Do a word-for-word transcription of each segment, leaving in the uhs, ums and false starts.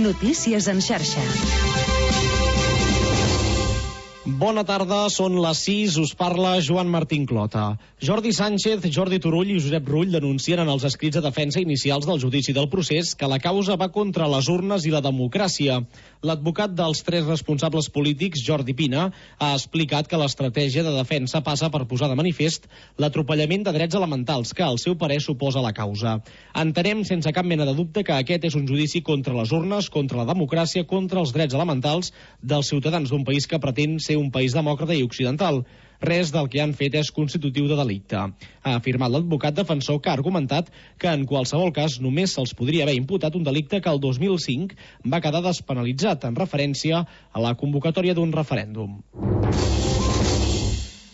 Notícies en xarxa. Bona tarda, són les sis, us parla Joan Martín Clota. Jordi Sánchez, Jordi Turull i Josep Rull denuncien en els escrits de defensa inicials del judici del procés que la causa va contra les urnes i la democràcia. L'advocat dels tres responsables polítics, Jordi Pina, ha explicat que l'estratègia de defensa passa per posar de manifest l'atropellament de drets elementals que, al seu parer, suposa la causa. Entenem sense cap mena de dubte que aquest és un judici contra les urnes, contra la democràcia, contra els drets elementals dels ciutadans d'un país que pretén ser un país demòcrata i occidental. Res del que han fet és constitutiu de delicte. Ha afirmat l'advocat defensor, que ha argumentat que en qualsevol cas només se'ls podria haver imputat un delicte que el dos mil cinc va quedar despenalitzat en referència a la convocatòria d'un referèndum.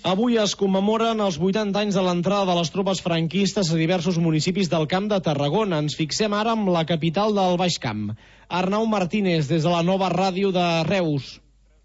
Avui es commemoren els vuitanta anys de l'entrada de les tropes franquistes a diversos municipis del Camp de Tarragona. Ens fixem ara en la capital del Baix Camp. Arnau Martínez, des de la Nova Ràdio de Reus.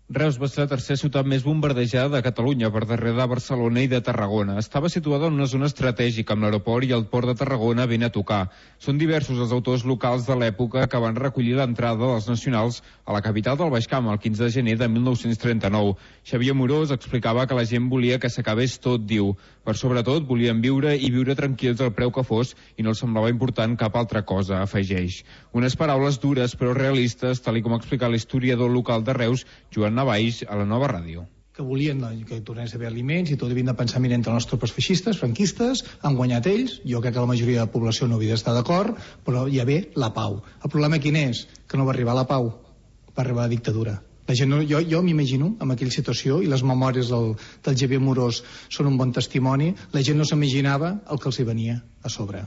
Reus va ser la tercera ciutat més bombardejada de Catalunya, per darrere de Barcelona i de Tarragona. Estava situada en una zona estratègica, amb l'aeroport i el port de Tarragona ben a tocar. Són diversos els autors locals de l'època que van recollir l'entrada dels nacionals a la capital del Baix Camp el quinze de gener de mil nou-cents trenta-nou. Xavier Morós explicava que la gent volia que s'acabés tot, diu. Per sobretot, volien viure i viure tranquils al preu que fos i no els semblava important cap altra cosa, afegeix. Unes paraules dures però realistes, tal com ha explicat l'historiador local de Reus, Joan Navaix, a la Nova Ràdio. Que volien que tornés a haver aliments i tot havien de pensar mirant entre les tropes feixistes, franquistes, han guanyat ells, jo crec que la majoria de la població no havia d'estar d'acord, però hi ha bé la pau. El problema quin és? Que no va arribar la pau, va arribar la dictadura. La gent no, jo jo m'imagino en aquella situació, i les memòries del, del Xavier Morós són un bon testimoni, la gent no s'imaginava el que els hi venia a sobre.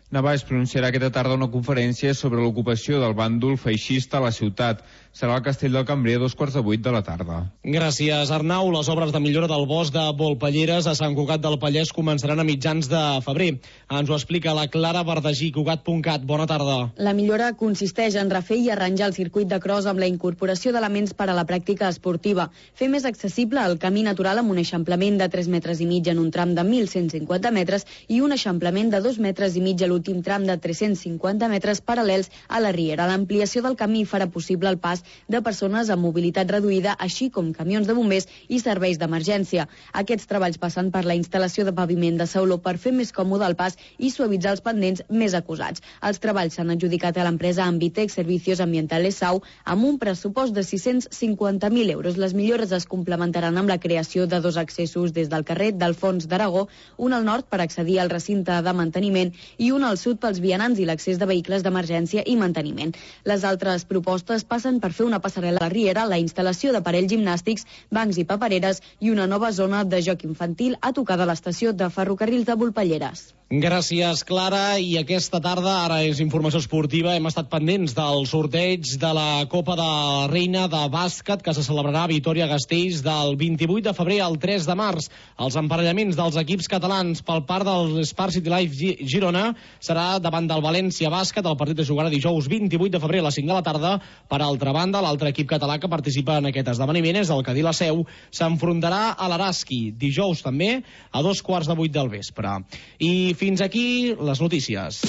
Navaix pronunciarà aquesta tarda una conferència sobre l'ocupació del bàndol feixista a la ciutat. Serà al Castell del Cambrer a dos quarts de vuit de la tarda. Gràcies, Arnau. Les obres de millora del bosc de Volpelleres a Sant Cugat del Vallès començaran a mitjans de febrer. Ens ho explica la Clara Verdagí, cugat punt cat. Bona tarda. La millora consisteix en refer i arranjar el circuit de cross amb la incorporació d'elements per a la pràctica esportiva, fer més accessible el camí natural amb un eixamplament de tres metres i mig en un tram de mil cent cinquanta metres i un eixamplament de dos metres i mig a l'últim tram de tres-cents cinquanta metres paral·lels a la riera. L'ampliació del camí farà possible el pas de persones amb mobilitat reduïda, així com camions de bombers i serveis d'emergència. Aquests treballs passen per la instal·lació de paviment de sauló per fer més còmode el pas i suavitzar els pendents més acusats. Els treballs s'han adjudicat a l'empresa Ambitec Servicios Ambientales Sau amb un pressupost de sis-cents cinquanta mil euros. Les millores es complementaran amb la creació de dos accessos des del carrer d'Alfons d'Aragó, un al nord per accedir al recinte de manteniment i un al sud pels vianants i l'accés de vehicles d'emergència i manteniment. Les altres propostes passen per fer una passarel·la a la riera, la instal·lació d'aparells gimnàstics, bancs i papereres i una nova zona de joc infantil a tocar de l'estació de ferrocarrils de Volpelleres. Gràcies, Clara. I aquesta tarda, ara és informació esportiva, hem estat pendents del sorteig de la Copa de la Reina de bàsquet que se celebrarà a Vitòria-Gasteiz del vint-i-vuit de febrer al tres de març. Els emparellaments dels equips catalans pel part del Spark City Life Girona serà davant del València Bàsquet. El partit es jugarà dijous vint-i-vuit de febrer a les cinc de la tarda. Per altra banda, l'altre equip català que participa en aquest esdeveniment és el Cadí la Seu. S'enfrontarà a l'Araski dijous també a dos quarts de vuit del vespre. I fins aquí les notícies.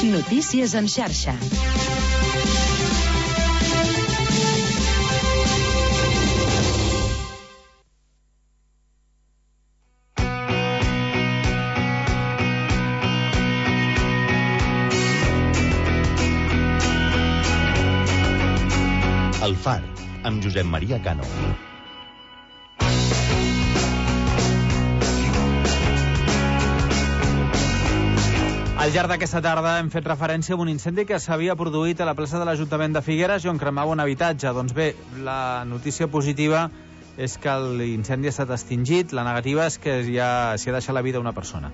Notícies en xarxa. El Far, amb Josep Maria Cano. Al llarg d'aquesta tarda hem fet referència a un incendi que s'havia produït a la plaça de l'Ajuntament de Figueres i on cremava un habitatge. Doncs bé, la notícia positiva és que l'incendi ha estat extingit, la negativa és que ja s'hi ha deixat la vida una persona.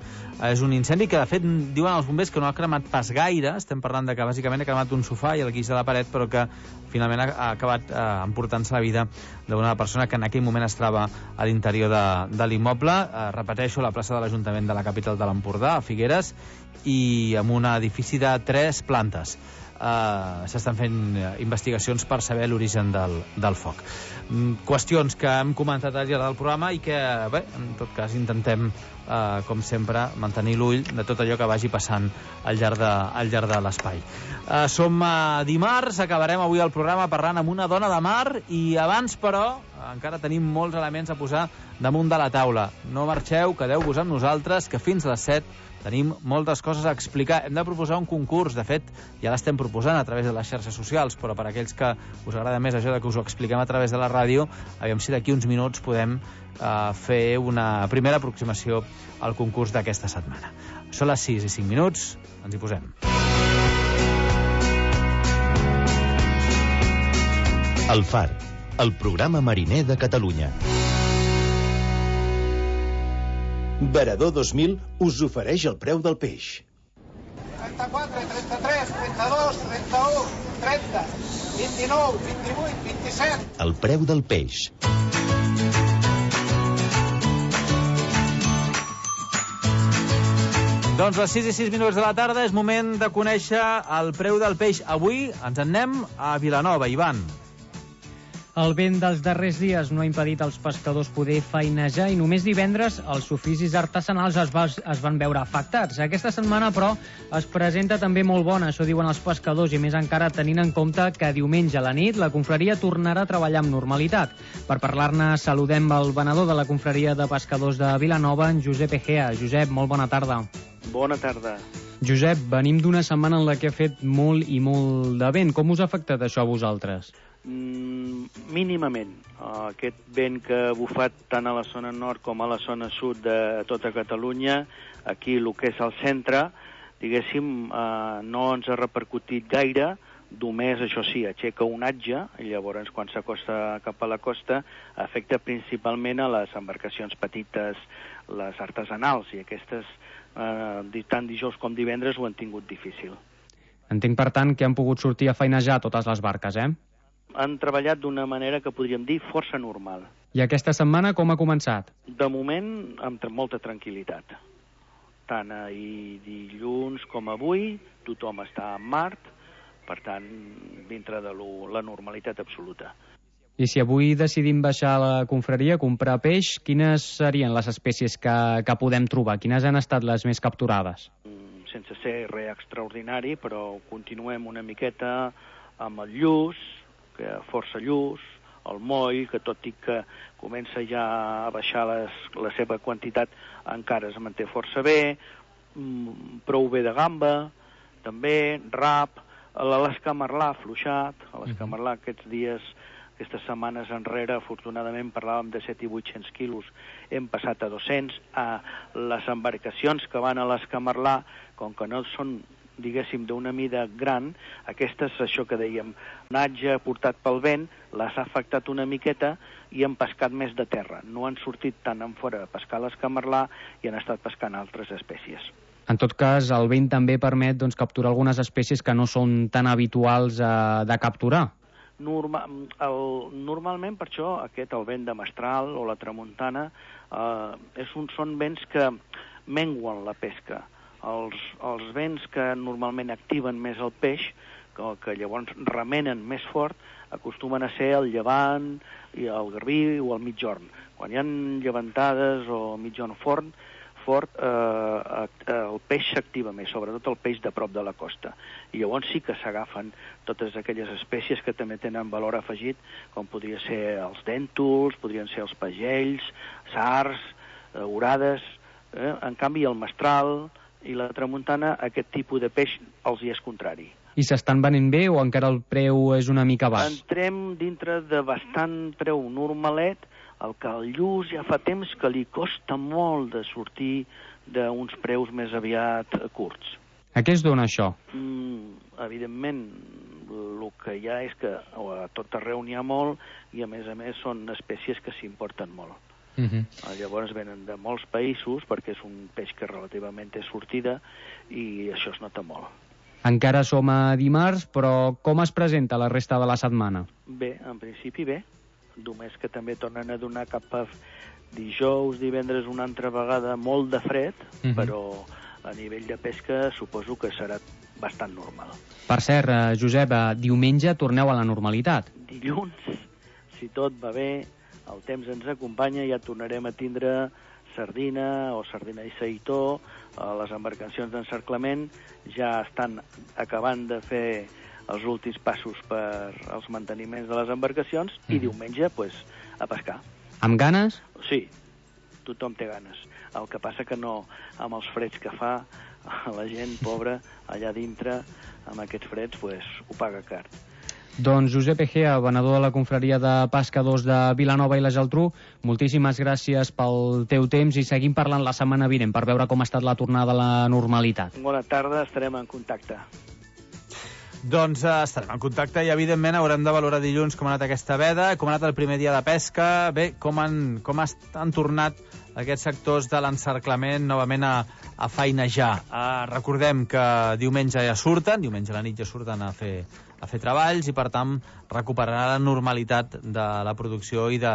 És un incendi que, de fet, diuen els bombers que no ha cremat pas gaire, estem parlant de que bàsicament ha cremat un sofà i el guix de la paret, però que finalment ha acabat eh, emportant-se la vida d'una persona que en aquell moment es troba a l'interior de, de l'immoble. Eh, repeteixo, la plaça de l'Ajuntament de la capital de l'Empordà, a Figueres, i amb un edifici de tres plantes. eh, s'estan fent investigacions per saber l'origen del, del foc. Mm, qüestions que hem comentat al llarg del programa i que, bé, en tot cas intentem, eh, com sempre, mantenir l'ull de tot allò que vagi passant al llarg de, al llarg de l'espai. Eh, som a dimarts, acabarem avui el programa parlant amb una dona de mar i abans, però, encara tenim molts elements a posar damunt de la taula. No marxeu, quedeu-vos amb nosaltres, que fins a les set tenim moltes coses a explicar. Hem de proposar un concurs, de fet, ja l'estem proposant a través de les xarxes socials, però per aquells que us agrada més això de que us ho expliquem a través de la ràdio, aviam si d'aquí uns minuts podem uh, fer una primera aproximació al concurs d'aquesta setmana. Són les sis i cinc minuts, ens hi posem. El Far, el programa mariner de Catalunya. Varador dos mil us ofereix el preu del peix. trenta-quatre, trenta-tres, trenta-dos, trenta-u, trenta, vint-i-nou, vint-i-vuit, vint-i-set... El preu del peix. Doncs a les sis i sis minuts de la tarda és moment de conèixer el preu del peix. Avui ens en anem a Vilanova, Ivan. El vent dels darrers dies no ha impedit als pescadors poder feinejar i només divendres els oficis artesanals es, va, es van veure afectats. Aquesta setmana, però, es presenta també molt bona, això diuen els pescadors, i més encara tenint en compte que diumenge a la nit la confraria tornarà a treballar amb normalitat. Per parlar-ne, saludem el venedor de la confraria de pescadors de Vilanova, en Josep Egea. Josep, molt bona tarda. Bona tarda. Josep, venim d'una setmana en la que ha fet molt i molt de vent. Com us ha afectat això a vosaltres? Mm, mínimament. Uh, aquest vent que ha bufat tant a la zona nord com a la zona sud de tota Catalunya, aquí el que és el centre, diguéssim, uh, no ens ha repercutit gaire, només, això sí, aixeca un atge, i llavors quan s'acosta cap a la costa afecta principalment a les embarcacions petites, les artesanals, i aquestes, uh, tant dijous com divendres, ho han tingut difícil. Entenc, per tant, que han pogut sortir a feinejar totes les barques, eh? Han treballat d'una manera que podríem dir força normal. I aquesta setmana com ha començat? De moment, amb tra molta tranquil·litat. Tant ahir dilluns com avui, tothom està en Mart, per tant, dintre de lo, la normalitat absoluta. I si avui decidim baixar a la confraria a comprar peix, quines serien les espècies que, que podem trobar? Quines han estat les més capturades? Sense ser res extraordinari, però continuem una miqueta amb el lluç, que força lluç, el moll, que tot i que comença ja a baixar les, la seva quantitat, encara es manté força bé, prou bé de gamba, també, rap, l'escamarlà afluixat, l'escamarlà aquests dies, aquestes setmanes enrere, afortunadament parlàvem de set i vuit-cents quilos, hem passat a dos-cents, a les embarcacions que van a l'escamarlà, com que no són, diguéssim, d'una mida gran, aquestes, això que dèiem, natge portat pel vent, les ha afectat una miqueta i han pescat més de terra. No han sortit tant en fora a pescar l'escamarlà i han estat pescant altres espècies. En tot cas, el vent també permet doncs, capturar algunes espècies que no són tan habituals eh, de capturar. Norma, el, normalment, per això, aquest, el vent de mestral o la tramuntana, eh, és un, són vents que menguen la pesca. Els, els vents que normalment activen més el peix, que, que llavors remenen més fort, acostumen a ser el llevant, i el garbí o el migjorn. Quan hi ha llevantades o migjorn fort, fort eh, el peix s'activa més, sobretot el peix de prop de la costa. I llavors sí que s'agafen totes aquelles espècies que també tenen valor afegit, com podria ser els dèntols, podrien ser els pagells, sards, eh, orades. Eh? En canvi, el mestral i la tramuntana, aquest tipus de peix els hi és contrari. I s'estan venent bé o encara el preu és una mica baix? Entrem dintre de bastant preu normalet, el que el lluç ja fa temps que li costa molt de sortir d'uns preus més aviat curts. A què es dona això? Mm, evidentment, el que hi ha és que a tot arreu n'hi ha molt i a més a més són espècies que s'importen molt. Uh-huh. Llavors venen de molts països perquè és un peix que relativament té sortida i això es nota molt. Encara som a dimarts, però com es presenta la resta de la setmana? Bé, en principi bé, només que també tornen a donar cap a dijous, divendres una altra vegada molt de fred, uh-huh. Però a nivell de pesca suposo que serà bastant normal. Per cert, eh, Josep, eh, diumenge torneu a la normalitat. Dilluns, si tot va bé, el temps ens acompanya, ja tornarem a tindre sardina o sardina i seitó. Les embarcacions d'encerclament ja estan acabant de fer els últims passos per als manteniments de les embarcacions mm. i diumenge, pues, a pescar. Amb ganes? Sí, tothom té ganes. El que passa que no, amb els freds que fa, la gent pobra allà dintre, amb aquests freds, pues, ho paga car. Doncs Josep Egea, venedor de la confraria de pescadors de Vilanova i la Geltrú, moltíssimes gràcies pel teu temps i seguim parlant la setmana vinent per veure com ha estat la tornada a la normalitat. Bona tarda, estarem en contacte. Doncs eh, estarem en contacte i, evidentment, haurem de valorar dilluns com ha anat aquesta veda, com ha anat el primer dia de pesca, bé, com han, com han tornat aquests sectors de l'encerclament novament a, a feinejar. Uh, recordem que diumenge ja surten, diumenge a la nit ja surten a fer, a fer treballs i, per tant, recuperarà la normalitat de la producció i de,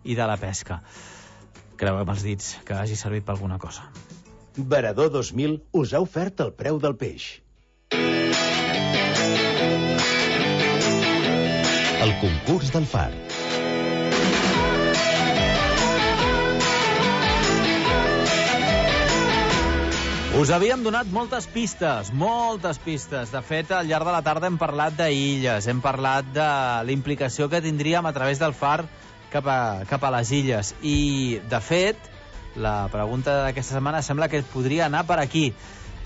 i de la pesca. Creu amb els dits que hagi servit per alguna cosa. Veredor dos mil us ha ofert el preu del peix. El concurs del far. Us havíem donat moltes pistes, moltes pistes. De fet, al llarg de la tarda hem parlat d'illes, hem parlat de la implicació que tindríem a través del far cap a, cap a les illes. I, de fet, la pregunta d'aquesta setmana sembla que podria anar per aquí.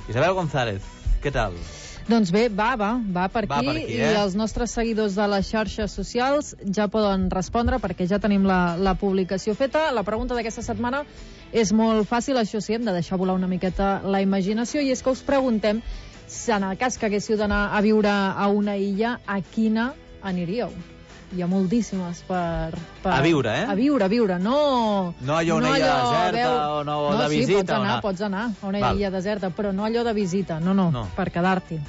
Isabel González, què tal? Doncs bé, va, va, va per aquí, va per aquí eh? I els nostres seguidors de les xarxes socials ja poden respondre perquè ja tenim la, la publicació feta. La pregunta d'aquesta setmana és molt fàcil, això sí, hem de deixar volar una miqueta la imaginació, i és que us preguntem si en el cas que haguéssiu d'anar a viure a una illa, a quina aniríeu? Hi ha moltíssimes per, per... A viure, eh? A viure, a viure, no... No allò una no illa allò, deserta veu... o no, no de sí, visita. pots anar, una... pots anar a una Val. illa deserta, però no allò de visita, no, no, no. per quedar-t'hi.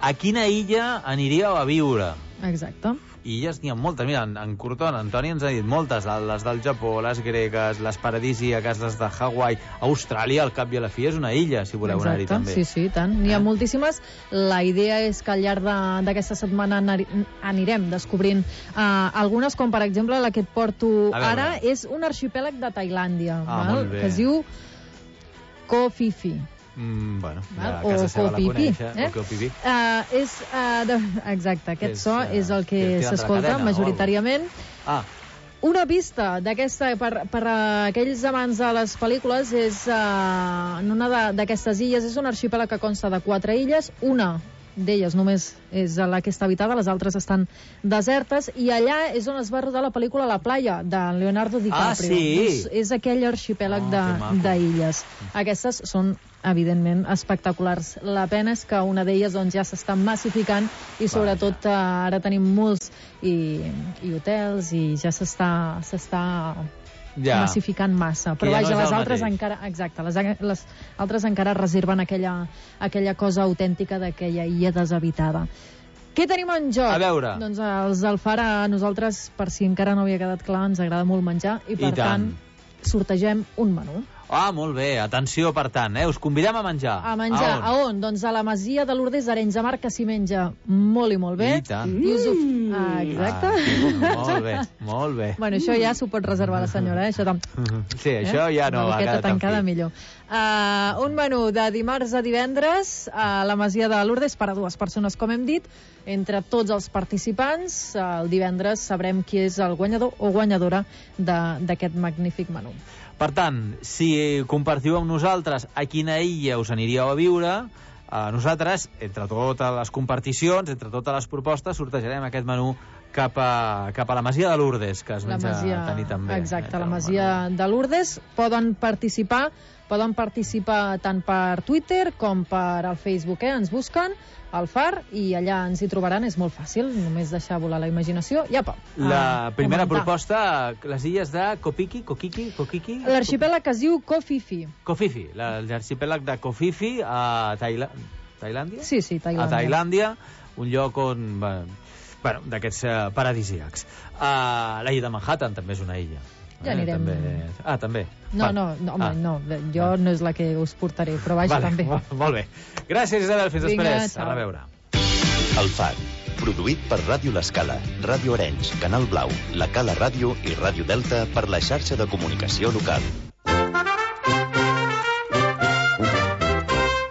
A quina illa aniríeu a viure? Exacte. Illes n'hi ha moltes. Mira, en, en Curton, Antoni ens ha dit moltes, les del Japó, les gregues, les paradisíaques, les de Hawaii. Austràlia, al cap i a la fi, és una illa, si voleu anar-hi també. Sí, sí, tant. N'hi ha eh? moltíssimes. La idea és que al llarg d'aquesta setmana anirem descobrint uh, algunes, com per exemple la que et porto ara, és un arxipèlag de Tailàndia, ah, val? Que es diu Koh Phi Phi. Mm, bueno, ja, o casa seva la coneix, eh? O Koh uh, és, uh, de... Exacte, aquest és, so uh, és el que s'escolta majoritàriament. Ah. Una pista d'aquesta per, per a aquells amants de les pel·lícules és uh, en una d'aquestes illes, és un arxipèlag que consta de quatre illes, una d'elles només és la que està habitada, les altres estan desertes, i allà és on es va rodar la pel·lícula La playa, de Leonardo DiCaprio. Ah, sí? Doncs és aquell arxipèlag oh, d'illes. Aquestes són, evidentment, espectaculars. La pena és que una d'elles doncs, ja s'està massificant i sobretot eh, ara tenim molts i, i hotels i ja s'està s'està ja. massificant massa. Però ja vaja, no les altres mateix. encara... Exacte, les, les altres encara reserven aquella, aquella cosa autèntica d'aquella illa deshabitada. Què tenim en joc? A veure. Doncs els del Far, a nosaltres, per si encara no havia quedat clar, ens agrada molt menjar i, per I tant. tant, sortegem un menú. Ah, molt bé. Atenció, per tant, eh? Us convidem a menjar. A menjar. A on? A on? Doncs a la Masia de Lourdes d'Arenys de Mar, que s'hi menja molt i molt bé. I tant. I us ho... ah, exacte. Ah, molt bé, molt bé. Bueno, això ja s'ho pot reservar la senyora, eh? Això tam... Sí, això ja no va quedar tancada millor. Uh, un menú de dimarts a divendres a la Masia de Lourdes per a dues persones, com hem dit. Entre tots els participants, el divendres sabrem qui és el guanyador o guanyadora d'aquest magnífic menú. Per tant, si compartiu amb nosaltres a quina illa us aniríeu a viure, eh, nosaltres, entre totes les comparticions, entre totes les propostes, sortejarem aquest menú cap a, cap a la Masia de Lourdes, que es menja a tenir també. Exacte, la Masia de Lourdes. Poden participar, poden participar tant per Twitter com per al Facebook, eh? Ens busquen al Far i allà ens hi trobaran, és molt fàcil, només deixar volar la imaginació i apa. La primera proposta, les illes de Kopiki, Kokiki, Kokiki... L'arxipèlag que es diu Koh Phi Phi. Koh Phi Phi, l'arxipèlag de Koh Phi Phi a Tailà... Tailàndia? Sí, sí, Tailàndia. A Tailàndia, un lloc on... Bueno, d'aquests uh, paradisíacs. Uh, la illa de Manhattan també és una illa. Ja Eh, anirem... també... Ah, també. No, Va. no, no, home, Ah. no, jo no és la que us portaré, però vaja, Vale, també. mo- Molt bé. Gràcies, Isabel. Fins Vinga, després. ciao. A reveure. El Far, produït per Ràdio L'Escala, Ràdio Arenys, Canal Blau, La Cala Ràdio i Ràdio Delta per la xarxa de comunicació local.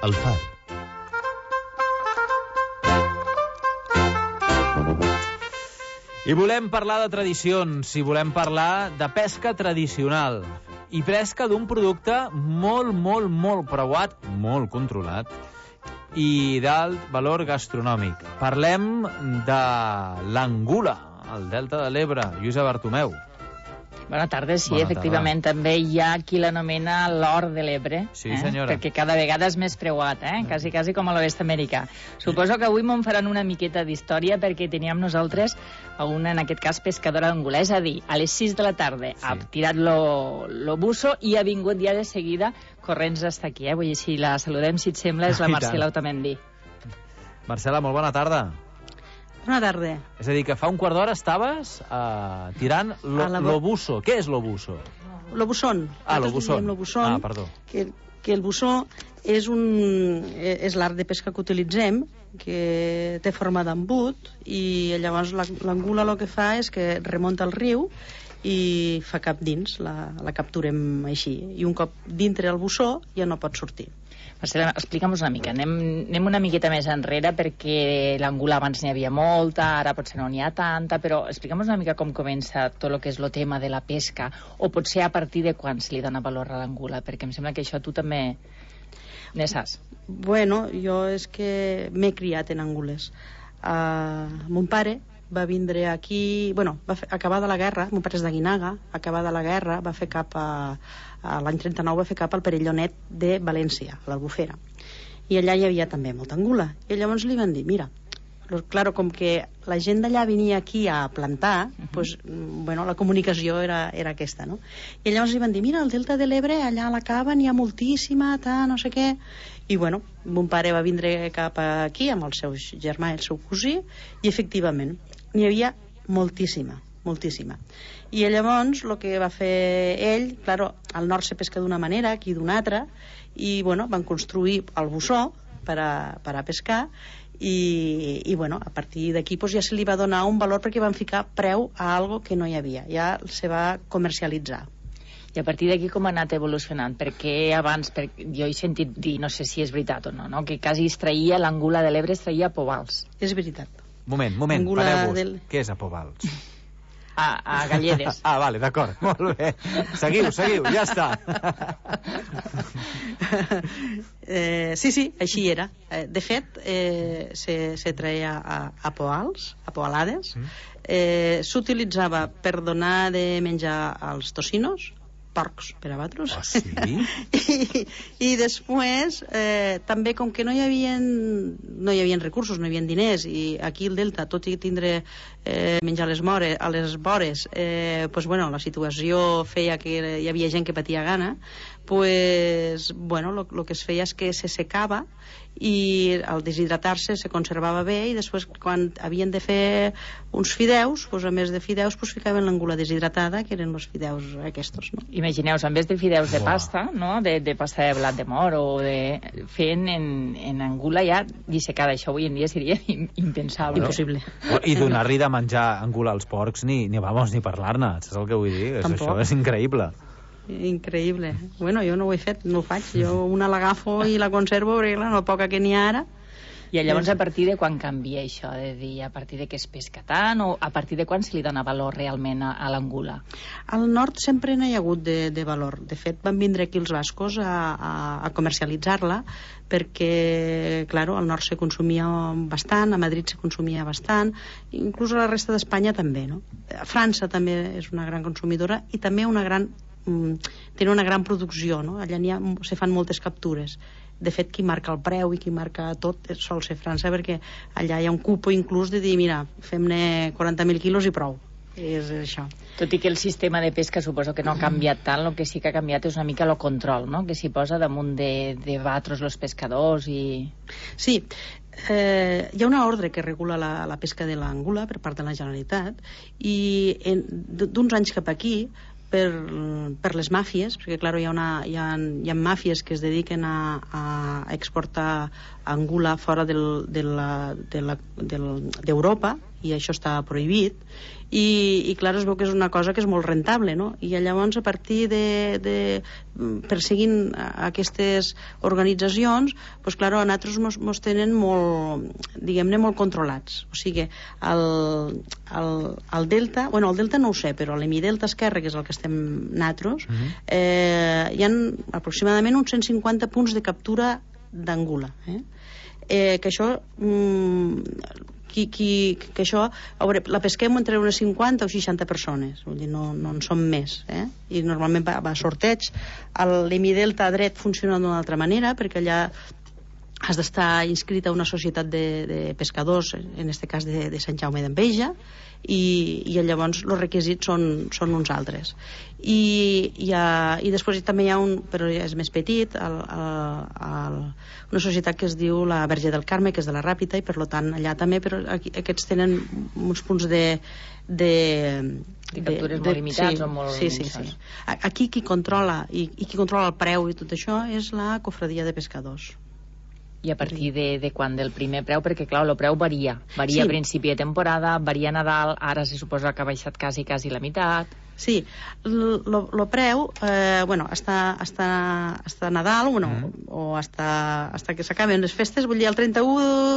El Far. I volem parlar de tradicions, i volem parlar de pesca tradicional. I pesca d'un producte molt, molt, molt preuat, molt controlat, i d'alt valor gastronòmic. Parlem de l'angula, al Delta de l'Ebre. Lluïsa Bartomeu. Bona tarda, sí, Bona efectivament. tarda. També hi ha qui l'anomena l'or de l'Ebre. Sí, eh? senyora. Perquè cada vegada és més preuat, eh? Quasi, quasi com a l'oest americà. Suposo que avui m'en faran una miqueta d'història perquè teníem nosaltres a una, en aquest cas, pescadora d'angula. És a dir, a les sis de la tarda sí. ha tirat lo, lo busso i ha vingut ja de seguida corrents hasta aquí, eh? Vull dir, si la saludem, si et sembla, és la Marcela Otamendi. Marcela, molt bona tarda. Bona tarda. És a dir, que fa un quart d'hora estaves uh, tirant lo, A la- l'obuso. Què és l'obuso? L'obusson. Ah, Nosaltres l'obusson. diem l'obusson, Ah, perdó. Que, que el bussó és, un, és l'art de pesca que utilitzem, que té forma d'embut, i llavors la- l'angula el que fa és que remunta el riu i fa cap dins, la, la capturem així. I un cop dintre el bussó ja no pot sortir. Marcela, explica'm una mica. Anem, anem una miqueta més enrere perquè l'angula abans n'hi havia molta, ara potser no n'hi ha tanta, però explica'm una mica com comença tot el que és el tema de la pesca, o potser a partir de quan se li dona valor a l'angula, perquè em sembla que això tu també ne saps. Bueno, jo és que m'he criat en angules. Uh, mon pare va vindre aquí... Bueno, va fer, acabada la guerra, mon pare és d'Aguinaga, acabada la guerra, va fer cap a... a l'any trenta-nou va fer cap al Perellonet de València, a l'Albufera. I allà hi havia també molta angula. I llavors li van dir, mira, lo- claro, com que la gent d'allà venia aquí a plantar, uh -huh. pues, bueno, la comunicació era, era aquesta, no? I llavors li van dir, mira, al Delta de l'Ebre, allà a la cava n'hi ha moltíssima, ta, no sé què. I bueno, mon pare va vindre cap aquí amb el seu germà i el seu cosí, i efectivament, n'hi havia moltíssima, moltíssima. I llavors el que va fer ell, claro, al nord se pesca d'una manera, aquí d'una altra, i bueno, van construir el bussó per a, per a pescar, i, i bueno, a partir d'aquí pues, ja se li va donar un valor perquè van ficar preu a algo que no hi havia, ja se va comercialitzar. I a partir d'aquí com ha anat evolucionant? Perquè abans, per... jo he sentit dir, no sé si és veritat o no, no? que quasi es traïa l'angula de l'Ebre, es traïa a Pobals. És veritat. Moment, moment, Angula pareu-vos. del- Què és a Pobals? A, a Galledes. Ah, vale, d'acord, molt bé. Seguiu, seguiu, ja està. eh, sí, sí, així era. Eh, de fet, eh, se, se treia a, a poals, a poalades. Eh, S'utilitzava per donar de menjar als tocinos, porcs per a batros. Ah, sí? I, i després eh, també com que no hi havia no hi havia recursos, no hi havia diners, i aquí el Delta, tot i tindre eh, menjar a les, more, a les vores, eh, pues, bueno, la situació feia que hi havia gent que patia gana, pues, bueno, el que es feia és que se secava i al deshidratar-se se conservava bé, i després quan havien de fer uns fideus, pues, a més de fideus pues, ficaven l'angula deshidratada, que eren els fideus aquests, no? Imagineu-vos, en vez de fideus de Uah. pasta, no? de, de pasta de blat de mor, o de... fent en, en angula ja dissecada. Això avui en dia seria impensable. Impossible. I donar-li de menjar angula als porcs, ni, ni vamos, ni parlar-ne, saps el que vull dir? És, Tampoc. això és increïble. Increïble. Bueno, jo no ho he fet, no ho faig. Jo una l'agafo i la conservo, perquè clar, no poca que n'hi ha ara. I llavors a partir de quan canvia això? De dir, a partir de què es pesca tant, o a partir de quan se li dona valor realment a, a l'angula? Al nord sempre no hi ha hagut de, de valor. De fet, van vindre aquí els bascos a, a, a comercialitzar-la, perquè, claro, al nord se consumia bastant, a Madrid se consumia bastant, inclús a la resta d'Espanya també, no? A França també és una gran consumidora, i també una gran tenen una gran producció, no? Allà ha, se fan moltes captures. De fet, qui marca el preu i qui marca tot sol ser França, perquè allà hi ha un cupo inclús de dir, mira, fem-ne quaranta mil quilos i prou. És això. Tot i que el sistema de pesca suposo que no ha canviat tant, el que sí que ha canviat és una mica el control, no? Que s'hi posa damunt de, de batros els pescadors i... Sí, eh, hi ha una ordre que regula la, la pesca de l'angula per part de la Generalitat, i d'uns anys cap aquí per, per les màfies, perquè clar, hi ha, una, hi, ha, hi ha màfies que es dediquen a, a exportar angula fora del, de la, de la, del, d'Europa, i això està prohibit, i, i clar, es veu que és una cosa que és molt rentable, no? I llavors a partir de, de perseguint aquestes organitzacions, doncs clar, a nosaltres mos, mos tenen molt, diguem-ne, molt controlats. O sigui, el, el, el Delta, bueno, el Delta no ho sé, però l'Hemidelta esquerre, que és el que estem nosaltres, uh-huh. eh, hi ha aproximadament uns cent cinquanta punts de captura d'angula, eh? Eh, que això mm, qui, qui, que això a veure, la pesquem entre unes cinquanta o seixanta persones, vull dir, no, no en som més, eh? I normalment va, va a sorteig. L'Hemidelta dret funciona d'una altra manera, perquè allà has d'estar inscrit a una societat de, de pescadors, en aquest cas de, de Sant Jaume d'Enveja, i, i llavors els requisits són, són uns altres. I, i, a, i després també hi ha un, però és més petit, el, el, el, una societat que es diu la Verge del Carme, que és de la Ràpita, i per tant allà també, però aquí, aquests tenen uns punts de de, de captures de, molt limitats, sí, o molt... Sí, sí, sí. Aquí qui controla i, i qui controla el preu i tot això és la Cofradia de Pescadors. I a partir de, de quan del primer preu? Perquè, clar, el preu varia. Varia sí. A principi de temporada, varia a Nadal, ara se suposa que ha baixat quasi, quasi la meitat. Sí, el preu, eh, bueno, hasta, hasta, hasta Nadal, bueno, mm. o hasta, hasta que s'acaben les festes, vull dir, el trenta-u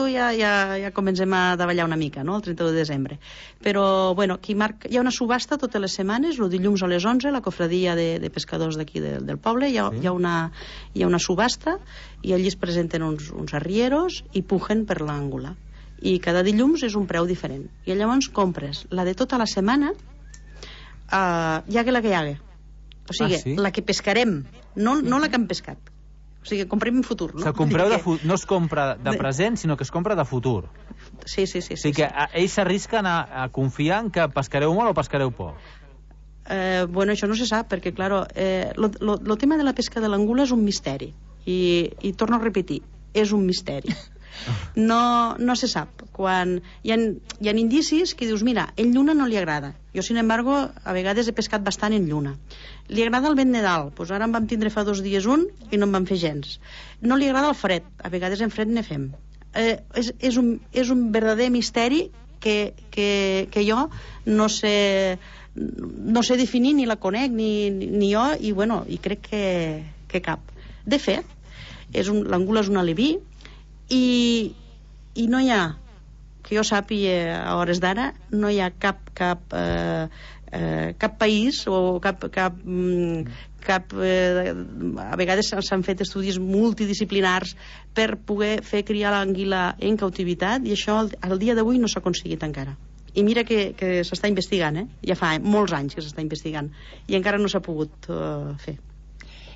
ja, ja, ja comencem a davallar una mica, no?, el trenta-u de desembre. Però, bueno, qui marca, hi ha una subhasta totes les setmanes, el dilluns a les onze, la cofradia de, de pescadors d'aquí de, del poble, hi ha, sí. hi, ha una, hi ha una subhasta, i allí es presenten uns, uns arrieros i pugen per l'àngula. I cada dilluns és un preu diferent. I llavors compres la de tota la setmana, Uh, hi hague la que hi hague, o sigui, ah, sí? La que pescarem, no, no la que hem pescat, o sigui, comprem en futur, no? O sigui, compreu de fu- no es compra de present, sinó que es compra de futur. Sí, sí, sí. O sigui, sí, que sí. Ells s'arrisquen a, a confiar en que pescareu molt o pescareu poc. Eh, bueno, això no se sap, perquè, claro, eh, lo, lo, lo tema de la pesca de l'angula és un misteri, i, i torno a repetir, és un misteri. No, no se sap. Quan hi ha, hi ha indicis que dius, mira, en lluna no li agrada. Jo, sin embargo, a vegades he pescat bastant en lluna. Li agrada el vent de dalt, doncs ara en vam tindre fa dos dies un i no en vam fer gens. No li agrada el fred, a vegades en fred ne fem. Eh, és, és, un, és un verdader misteri que, que, que jo no sé, no sé definir, ni la conec, ni, ni jo, i bueno, i crec que, que cap. De fet, és un, l'angula és un aleví, i, i no hi ha, que jo sàpiga a hores d'ara, no hi ha cap cap, eh, eh, cap país o cap, cap, cap eh, a vegades s'han fet estudis multidisciplinars per poder fer criar l'anguila en cautivitat, i això al, al dia d'avui no s'ha aconseguit encara. I mira que, que s'està investigant, eh? Ja fa molts anys que s'està investigant i encara no s'ha pogut eh, fer.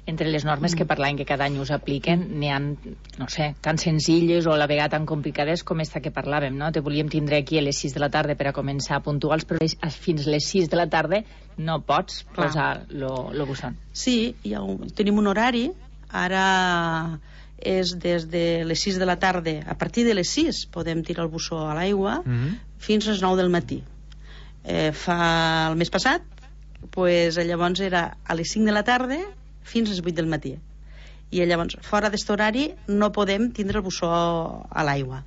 Entre les normes que parlàvem que cada any us apliquen, n'hi ha, no sé, tan senzilles o a la vegada tan complicades com esta que parlàvem, no? Te volíem tindre aquí a les sis de la tarda per a començar puntuals, però fins les sis de la tarda no pots Clar. posar lo busson. Sí, ha un, tenim un horari, ara és des de les sis de la tarda, a partir de les sis podem tirar el bussó a l'aigua mm-hmm. fins a les nou del matí. Eh, fa el mes passat, pues, llavors era a les cinc de la tarda fins a les vuit del matí. I llavors, fora d'aquest horari, no podem tindre el bussó a l'aigua.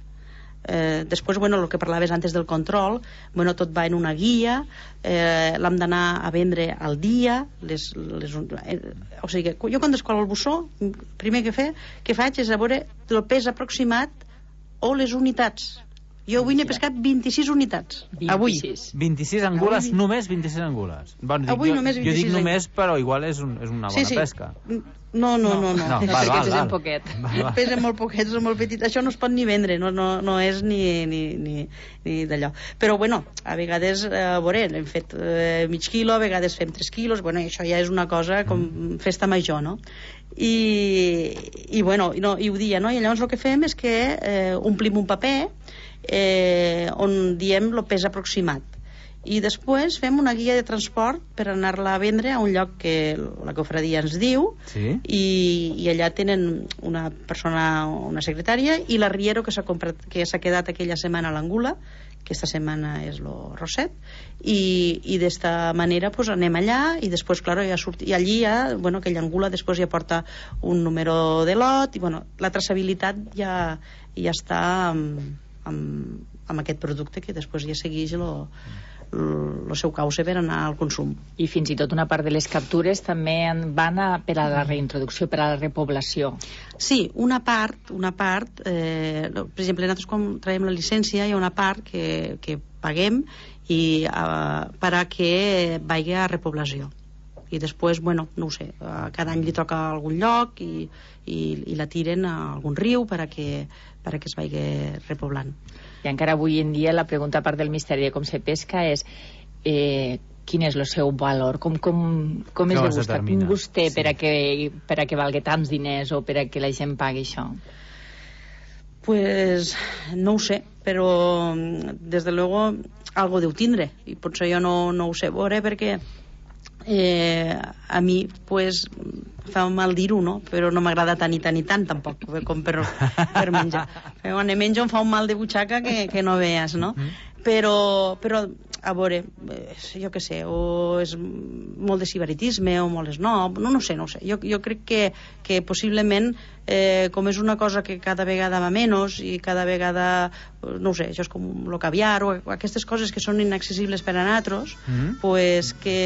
Eh, després, bueno, el que parlaves antes del control, bueno, tot va en una guia, eh, l'hem d'anar a vendre al dia, les, les, eh, o sigui, jo quan descolo el bussó, el primer que, fe, que faig és a veure el pes aproximat o les unitats. Jo avui n'he pescat vint-i-sis unitats. vint-i-sis. Avui. vint-i-sis angules, avui. Només vint-i-sis angules. Bueno, dic, avui jo, només vint-i-sis. Jo dic només, però igual és, un, és una bona sí, sí. pesca. No, no, no. no, no. no val, val, pesen poquet. Pesen molt poquet, és molt petit. Això no es pot ni vendre, no, no, no és ni, ni, ni, ni d'allò. Però, bueno, a vegades, eh, a veure, hem fet eh, mig quilo, a vegades fem tres quilos, bueno, això ja és una cosa com festa major, no? I, i bueno, no, i ho dia, no? I llavors el que fem és que eh, omplim un paper Eh, on diem el pes aproximat, i després fem una guia de transport per anar-la a vendre a un lloc que la cofradia ens diu, sí. i, i allà tenen una persona, una secretària, i l'arriero que s'ha comprat, que s'ha quedat aquella setmana a l'angula, aquesta setmana és el Roset, i, i d'esta manera pues, anem allà, i després, claro, ja surt, i allí ja, bueno, aquella angula després ja porta un número de lot, i bueno, la traçabilitat ja, ja està amb, amb, amb aquest producte que després ja segueix el el seu cauce per anar al consum. I fins i tot una part de les captures també van a, per a la reintroducció, per a la repoblació. Sí, una part, una part eh, per exemple, nosaltres quan traiem la llicència hi ha una part que, que paguem i, uh, per a que vagi a repoblació. I després, bueno, no ho sé, uh, cada any li toca a algun lloc i, i, i la tiren a algun riu per a que, per a que es vagi repoblant. I encara avui en dia la pregunta, a part del misteri de com se pesca, és eh, quin és el seu valor, com, com, com és de gust, quin gust té sí. per, a que, per a que valgui tants diners o per a que la gent pagui això? Pues no ho sé, però des de luego algo deu tindre, i potser jo no, no ho sé veure perquè eh, a mi pues fa mal dir-ho, no? Però no m'agrada tant i tant i tant tampoc com per, per menjar. Però quan menjo em fa un mal de butxaca que, que no veas, no? Però, però a veure, jo què sé, o és molt de sibaritisme o molt esnob, no, no sé, no sé. Jo, jo crec que, que possiblement, eh, com és una cosa que cada vegada va menys i cada vegada, no ho sé, això és com el caviar o aquestes coses que són inaccessibles per a nosaltres, mm-hmm. pues que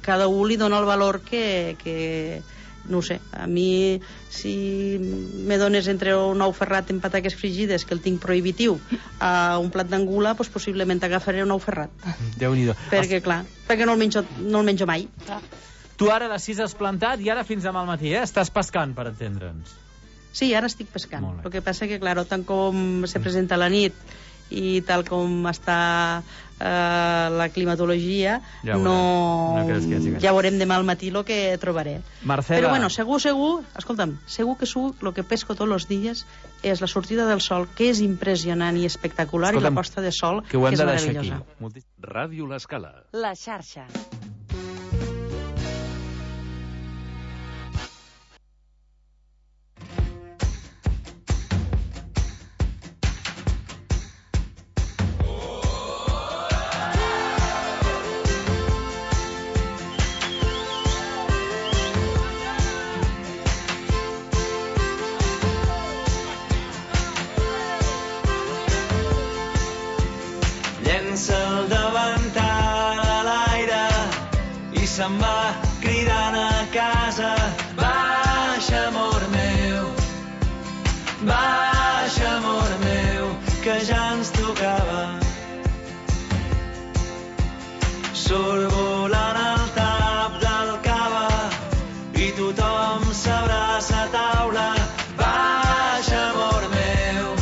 cada un li dona el valor que... que no ho sé, a mi si me dones entre un ou ferrat en pataques frigides, que el tinc prohibitiu, a un plat d'angula, doncs possiblement agafaré un ou ferrat. Déu-n'hi-do. Perquè, clar, perquè no el menjo, no el menjo mai. Tu ara a les sis has plantat i ara fins demà al matí, eh? Estàs pescant, per entendre'ns. Sí, ara estic pescant. El que passa que, clar, tant com se presenta la nit i tal com està eh, la climatologia, ja no, no ja veurem demà al matí el que trobaré. Marcela. Però bueno, segur, segur, escolta'm, segur que segur el que pesco tots els dies és la sortida del sol, que és impressionant i espectacular, escolta'm, i la posta de sol, que, que és meravellosa. Ràdio L'Escala. La xarxa. El davantal a l'aire i se'n va cridant a casa. Baixa, amor meu, baixa, amor meu, que ja ens tocava. Surt volant el tap del cava i tothom s'abraça a taula. Baixa, amor meu,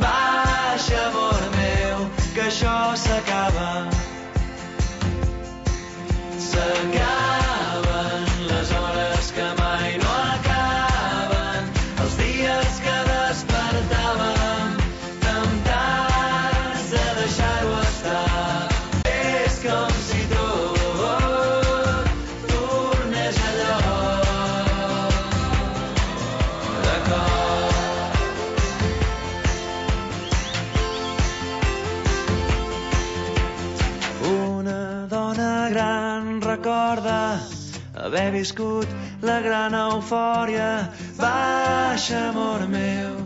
baixa, amor meu, que això s'acaba. S'acaben les hores que mai no acaben, els dies que despertàvem temptats de deixar-ho estar. És com si tot tornés a lloc de cor. Una dona gran recorda haver viscut la gran eufòria. Baixa, amor meu,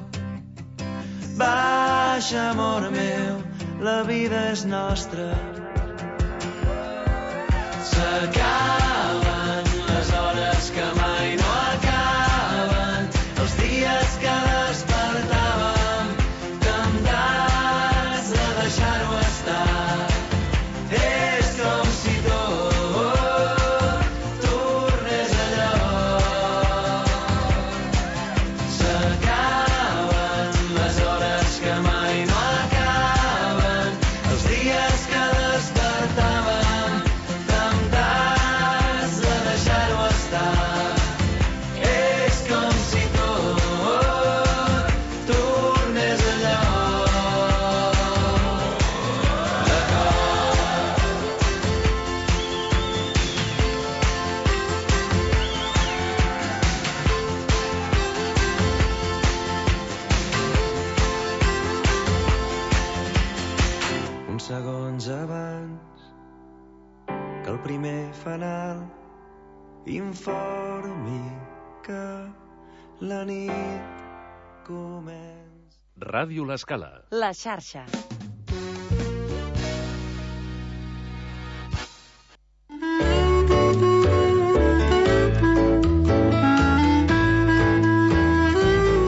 baixa, amor meu, la vida és nostra. S'acaben les hores que mai no acaben, els dies que despertàvem temptats de deixar-ho estar. És com si tot tornés a lloc. S'acaben les hores que mai no acaben, els dies que despertàvem temptats de deixar-ho estar. És com si tot tornés a lloc. segons abans que el primer fanal informi que la nit comença. Ràdio L'Escala. La xarxa.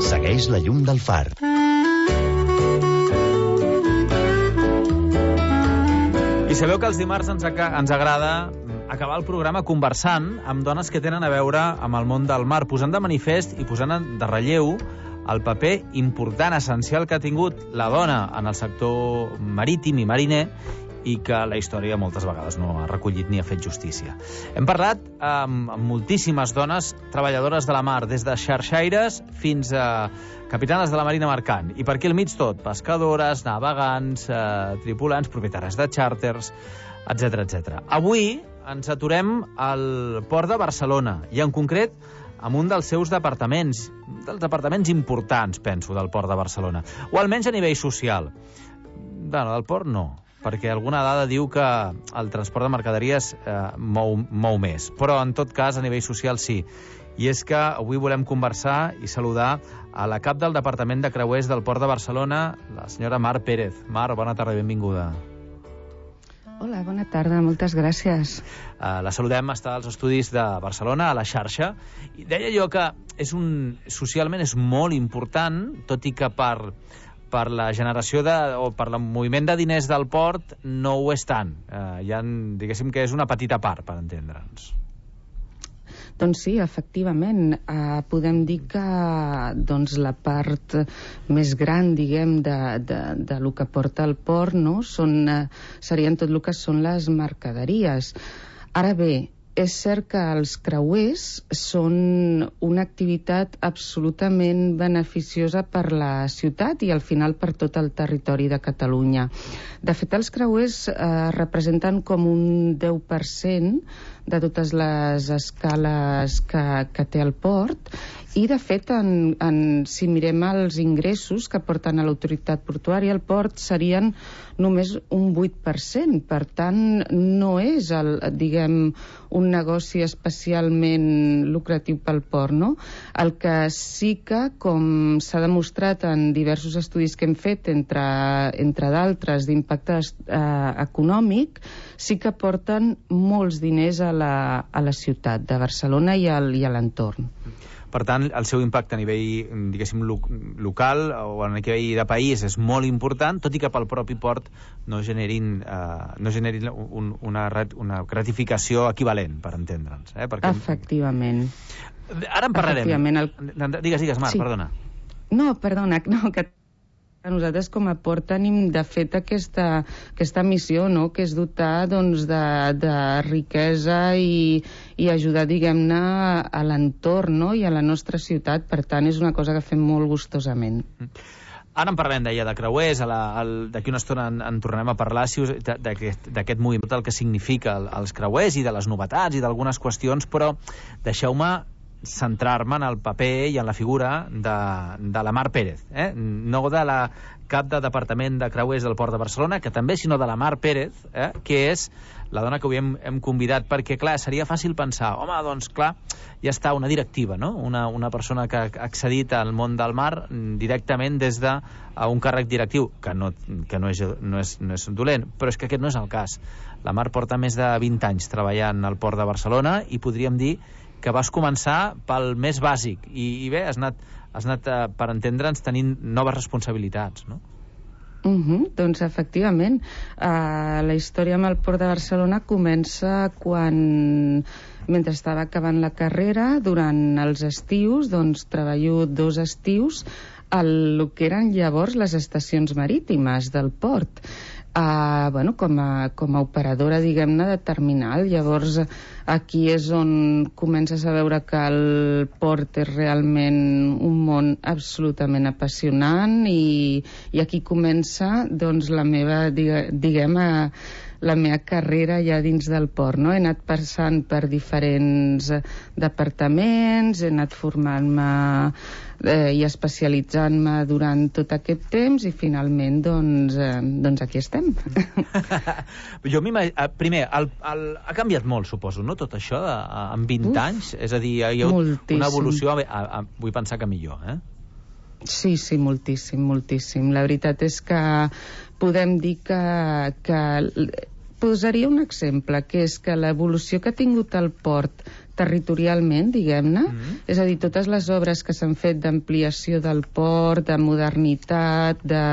Segueix la llum del far. I sabeu que els dimarts ens, ens agrada acabar el programa conversant amb dones que tenen a veure amb el món del mar, posant de manifest i posant de relleu el paper important, essencial que ha tingut la dona en el sector marítim i mariner i que la història moltes vegades no ha recollit ni ha fet justícia. Hem parlat amb, amb moltíssimes dones treballadores de la mar, des de xarxaires fins a capitanes de la marina mercant. I per aquí al mig tot, pescadores, navegants, eh, tripulants, propietaris de xàrters, etcètera, etcètera. Avui ens aturem al port de Barcelona i en concret amb un dels seus departaments, dels departaments importants, penso, del port de Barcelona, o almenys a nivell social. Bueno, del port no, perquè alguna dada diu que el transport de mercaderies eh, mou, mou més, però en tot cas a nivell social sí. I és que avui volem conversar i saludar a la cap del Departament de Creuers del Port de Barcelona, la senyora Mar Pérez. Mar, bona tarda i benvinguda. Hola, bona tarda, moltes gràcies. Uh, la saludem, està als estudis de Barcelona, a la xarxa. I deia jo que és un, socialment és molt important, tot i que per, per la generació de, o per el moviment de diners del port no ho és tant. Uh, ja, diguéssim que és una petita part, per entendre'ns. Doncs sí, efectivament, eh, podem dir que doncs, la part més gran, diguem, de, de, de lo que porta el port, no? Són, eh, serien tot el que són les mercaderies. Ara bé, és cert que els creuers són una activitat absolutament beneficiosa per la ciutat i al final per tot el territori de Catalunya. De fet, els creuers eh, representen com un deu per cent de totes les escales que, que té el port i, de fet, en, en, si mirem els ingressos que porten a l'autoritat portuària, el port serien només un vuit per cent. Per tant, no és, el, diguem, un negoci especialment lucratiu pel port, no? El que sí que, com s'ha demostrat en diversos estudis que hem fet, entre, entre d'altres d'impacte eh, econòmic, sí que porten molts diners a la, a la ciutat de Barcelona i, al, i a l'entorn. Per tant, el seu impacte a nivell, diguéssim, lo local o a nivell de país és molt important, tot i que pel propi port no generin, eh, no generin un, una, una gratificació equivalent, per entendre'ns. Eh? Perquè... Efectivament. Ara en parlarem. Efectivament. El... Digues, digues, Mar, sí. Perdona. No, perdona, no, que nosaltres com a port tenim de fet aquesta, aquesta missió, no? Que és dotar doncs, de, de riquesa i, i ajudar, diguem-ne, a l'entorn, no? I a la nostra ciutat. Per tant, és una cosa que fem molt gustosament. Ara en parlem, deia, de creuers, d'aquí una estona en, en tornarem a parlar si us, d'aquest moviment, el que significa el, els creuers i de les novetats i d'algunes qüestions, però deixeu-me centrar-me en el paper i en la figura de, de la Mar Pérez, eh? No de la cap de Departament de Creuers del Port de Barcelona, que també, sinó de la Mar Pérez, eh? Que és la dona que avui hem, hem convidat, perquè, clar, seria fàcil pensar, home, doncs, clar, ja està una directiva, no? Una, una persona que ha accedit al món del mar directament des de un càrrec directiu, que, no, que no, és, no, és, no és dolent, però és que aquest no és el cas. La Mar porta més de vint anys treballant al Port de Barcelona i podríem dir que vas començar pel més bàsic i, i bé, has anat, has anat eh, per entendre'ns, tenint noves responsabilitats, no? Uh -huh, doncs efectivament uh, la història amb el Port de Barcelona comença quan, mentre estava acabant la carrera, durant els estius, doncs treballo dos estius al que eren llavors les estacions marítimes del port. Uh, bueno, com a, com a operadora, diguem-ne, de terminal. Llavors, aquí és on comences a veure que el port és realment un món absolutament apassionant i, i aquí comença, doncs, la meva, diguem, a, la meva carrera ja dins del port, no? He anat passant per diferents departaments, he anat formant-me eh, i especialitzant-me durant tot aquest temps i finalment, doncs, eh, doncs aquí estem. Jo primer, el, el, ha canviat molt, suposo, no?, tot això de, en vint Uf, anys? És a dir, hi ha hagut moltíssim. Una evolució, a, a, a, vull pensar que millor, eh? Sí, sí, moltíssim, moltíssim. La veritat és que podem dir que, que... Posaria un exemple, que és que l'evolució que ha tingut el port territorialment, diguem-ne, mm-hmm. és a dir, totes les obres que s'han fet d'ampliació del port, de modernitat, de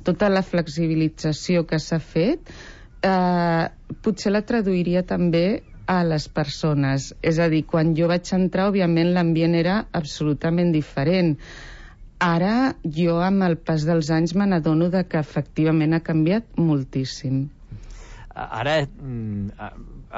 tota la flexibilització que s'ha fet, eh, potser la traduiria també a les persones. És a dir, quan jo vaig entrar, òbviament, l'ambient era absolutament diferent. Ara, jo, amb el pas dels anys, me n'adono que efectivament ha canviat moltíssim. Ara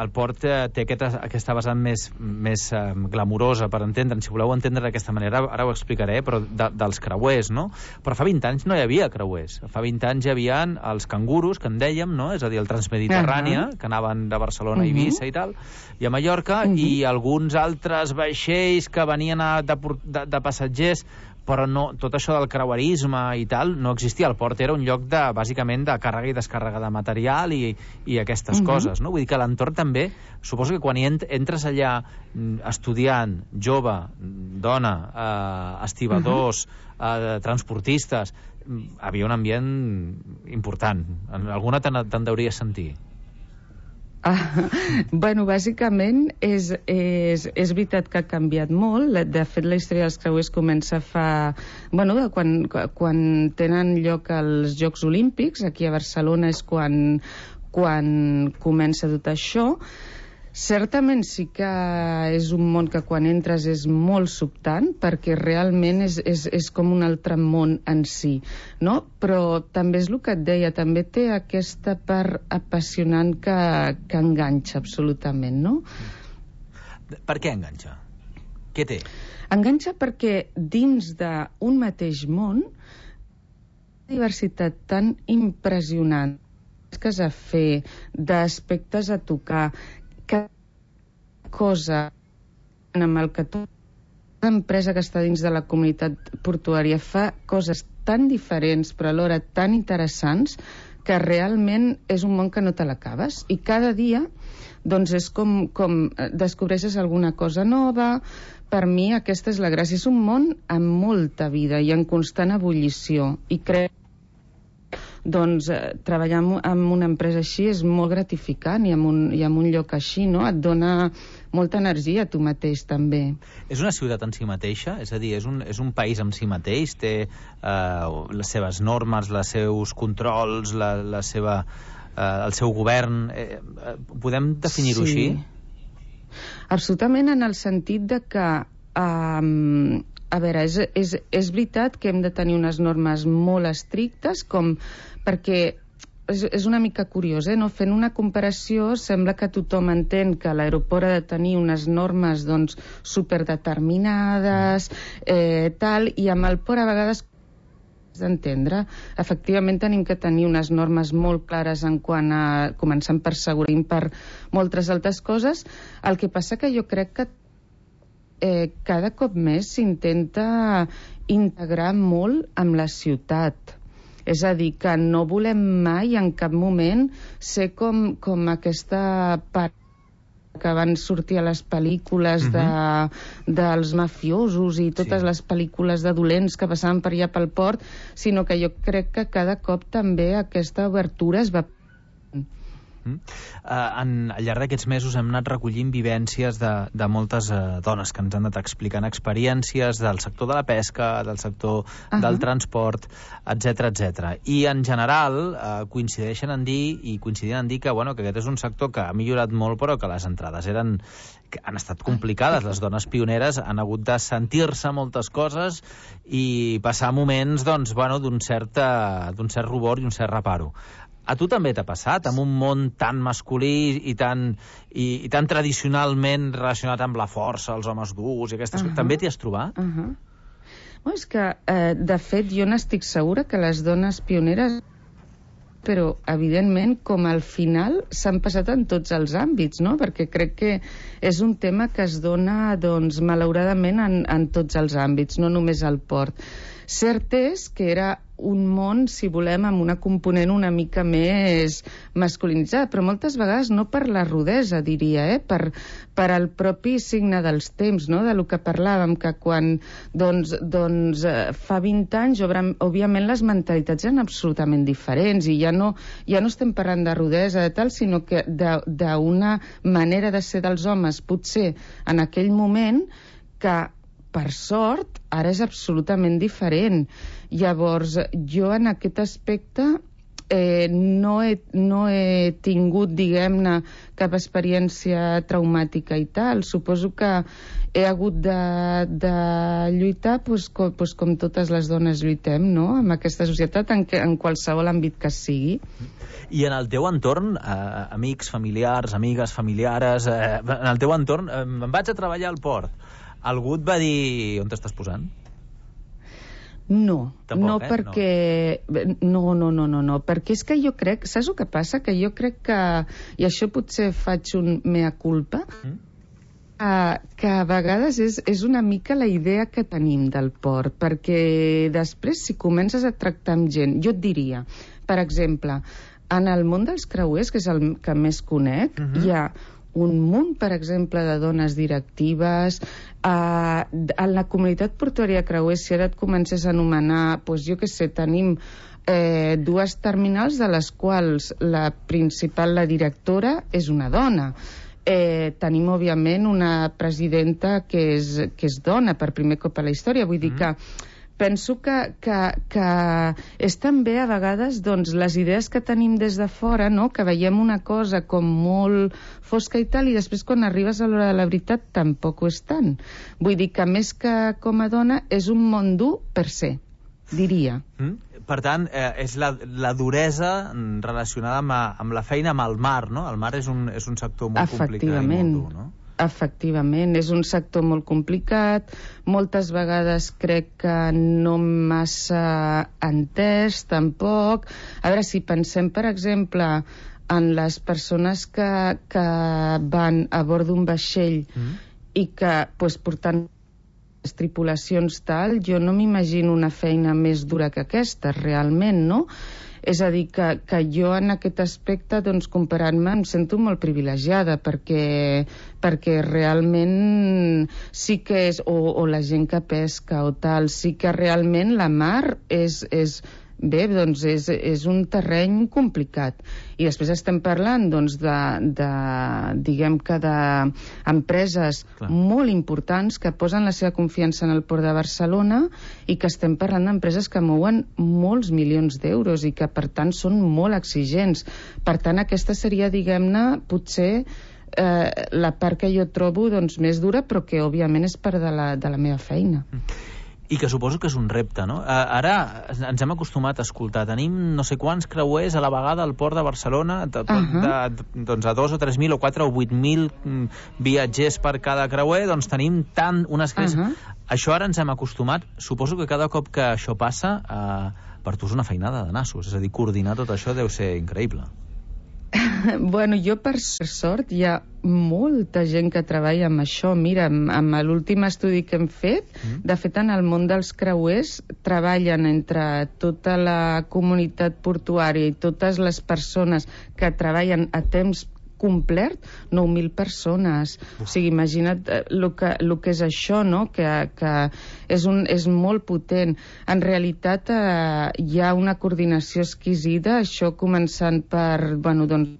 el port té aquesta, aquesta vessant més, més um, glamurosa, per entendre'n. Si voleu entendre d'aquesta manera, ara ho explicaré, però de, dels creuers, no? Però fa vint anys no hi havia creuers. Fa vint anys hi havia els canguros, que en dèiem, no? És a dir, el Transmediterrània, uh-huh. que anaven de Barcelona a Eivissa uh-huh. i tal, i a Mallorca, uh-huh. i alguns altres vaixells que venien a, de, de, de passatgers, però no, tot això del creuerisme i tal no existia. El port era un lloc de, bàsicament, de càrrega i descàrrega de material i, i aquestes uh-huh. coses, no? Vull dir que l'entorn també, suposo que quan hi entres allà estudiant, jove, dona, eh, estibadors, uh-huh. eh, transportistes, havia un ambient important. Alguna te'n, te'n deuries sentir. Ah, bueno, bàsicament és, és, és veritat que ha canviat molt. De fet, la història dels creuers comença fa... Bueno, quan, quan tenen lloc els Jocs Olímpics, aquí a Barcelona és quan, quan comença tot això. Certament sí que és un món que quan entres és molt sobtant, perquè realment és, és, és com un altre món en si, no? Però també és el que et deia, també té aquesta part apassionant que, que enganxa absolutament, no? Per què enganxa? Què té? Enganxa perquè dins d'un mateix món una diversitat tan impressionant que s'ha de fer, d'aspectes a tocar, que cosa amb el que tota empresa que està dins de la comunitat portuària fa coses tan diferents però alhora tan interessants que realment és un món que no te l'acabes i cada dia doncs és com, com descobreixes alguna cosa nova. Per mi aquesta és la gràcia, és un món amb molta vida i en constant ebullició i crec doncs eh, treballar en una empresa així és molt gratificant i en un, i en un lloc així, no? Et dona molta energia a tu mateix també. És una ciutat en si mateixa? És a dir, és un, és un país en si mateix? Té eh, les seves normes, els seus controls, la, la seva, eh, el seu govern? Eh, podem definir-ho sí. així? Absolutament, en el sentit de que eh, a veure, és, és, és veritat que hem de tenir unes normes molt estrictes, com perquè és, és una mica curiós, eh? No? Fent una comparació, sembla que tothom entén que l'aeroport ha de tenir unes normes doncs, superdeterminades, eh, tal, i amb el port a vegades d'entendre. Efectivament tenim que tenir unes normes molt clares en quant a, començant per seguretat, per moltes altres coses. El que passa que jo crec que eh, cada cop més s'intenta integrar molt amb la ciutat. És a dir, que no volem mai en cap moment ser com, com aquesta part que van sortir a les pel·lícules de, dels mafiosos i totes sí. les pel·lícules de dolents que passaven per allà pel port, sinó que jo crec que cada cop també aquesta obertura es va... Mm. Uh, en, al llarg d'aquests mesos hem anat recollint vivències de, de moltes uh, dones que ens han anat explicant experiències del sector de la pesca, del sector uh-huh. del transport, etcètera, etcètera. I en general uh, coincideixen en dir i coincidien en dir que, bueno, que aquest és un sector que ha millorat molt però que les entrades eren que han estat complicades. Les dones pioneres han hagut de sentir-se moltes coses i passar moments doncs, bueno, d'un cert, uh, d'un cert rubor i un cert reparo. A tu també t'ha passat, amb un món tan masculí i tan, i, i tan tradicionalment relacionat amb la força, els homes durs i aquestes uh-huh. coses. També t'hi has trobat? Uh-huh. Bueno, és que, eh, de fet, jo n'estic segura que les dones pioneres però, evidentment, com al final s'han passat en tots els àmbits, no? Perquè crec que és un tema que es dona, doncs, malauradament en, en tots els àmbits, no només al port. Cert és que era un món, si volem, amb una component una mica més masculinitzada, però moltes vegades no per la rudesa, diria, eh? per, per el propi signe dels temps, no? De lo que parlàvem, que quan doncs, doncs, fa vint anys, òbviament les mentalitats eren absolutament diferents i ja no, ja no estem parlant de rudesa de tal, sinó que d'una manera de ser dels homes, potser en aquell moment, que per sort, ara és absolutament diferent. Llavors, jo en aquest aspecte eh, no, he, no he tingut, diguem-ne, cap experiència traumàtica i tal. Suposo que he hagut de, de lluitar pues, com, pues, com totes les dones lluitem, no?, en aquesta societat, en, que, en qualsevol àmbit que sigui. I en el teu entorn, eh, amics, familiars, amigues, familiares, eh, en el teu entorn, eh, em vaig a treballar al port. Algú et va dir on t'estàs posant? No, Tampoc, no eh? perquè... No. no, no, no, no, perquè és que jo crec... Saps el que passa? Que jo crec que... I això potser faig un mea culpa, mm? que, que a vegades és, és una mica la idea que tenim del port, perquè després, si comences a tractar amb gent... Jo et diria, per exemple, en el món dels creuers, que és el que més conec, mm-hmm. hi ha un munt, per exemple, de dones directives. Uh, en la comunitat portuària de creuers, si ara et comences a anomenar, doncs jo què sé, tenim eh, dues terminals de les quals la principal, la directora, és una dona. Eh, tenim, òbviament, una presidenta que és, que és dona per primer cop a la història. Vull dir que penso que, que, que és també a vegades doncs, les idees que tenim des de fora, no? Que veiem una cosa com molt fosca i tal, i després quan arribes a l'hora de la veritat tampoc ho és tant. Vull dir que més que com a dona és un món dur per ser, diria. Mm? Per tant, eh, és la, la duresa relacionada amb, amb la feina amb el mar, no? El mar és un, és un sector molt complicat i molt dur, no? Efectivament, és un sector molt complicat, moltes vegades crec que no massa entès, tampoc. A veure, si pensem, per exemple, en les persones que, que van a bord d'un vaixell mm. i que, pues, portant les tripulacions tal, jo no m'imagino una feina més dura que aquesta, realment, no? És a dir, que, que jo en aquest aspecte, doncs, comparant-me, em sento molt privilegiada, perquè, perquè realment sí que és, o, o la gent que pesca o tal, sí que realment la mar és... és bé, doncs és, és un terreny complicat. I després estem parlant, doncs, de, de diguem que d'empreses molt importants que posen la seva confiança en el Port de Barcelona i que estem parlant d'empreses que mouen molts milions d'euros i que, per tant, són molt exigents. Per tant, aquesta seria, diguem-ne, potser eh, la part que jo trobo doncs, més dura, però que, òbviament, és part de la, de la meva feina. I que suposo que és un repte, no? Ara ens hem acostumat a escoltar. Tenim no sé quants creuers a la vegada al port de Barcelona, de, uh-huh. de, doncs a dos o tres mil o quatre o vuit mil viatgers per cada creuer, doncs tenim tant unes creus... Uh-huh. Això ara ens hem acostumat. Suposo que cada cop que això passa, eh, per tu és una feinada de nassos. És a dir, coordinar tot això deu ser increïble. Bueno, jo per sort hi ha molta gent que treballa amb això. Mira, amb l'últim estudi que hem fet, mm. de fet en el món dels creuers treballen entre tota la comunitat portuària i totes les persones que treballen a temps complet, nou mil persones. Uf. O sigui, imagina't el que, el que és això, no? Que, que és, un, és molt potent. En realitat eh, hi ha una coordinació exquisida, això començant per, bueno, doncs,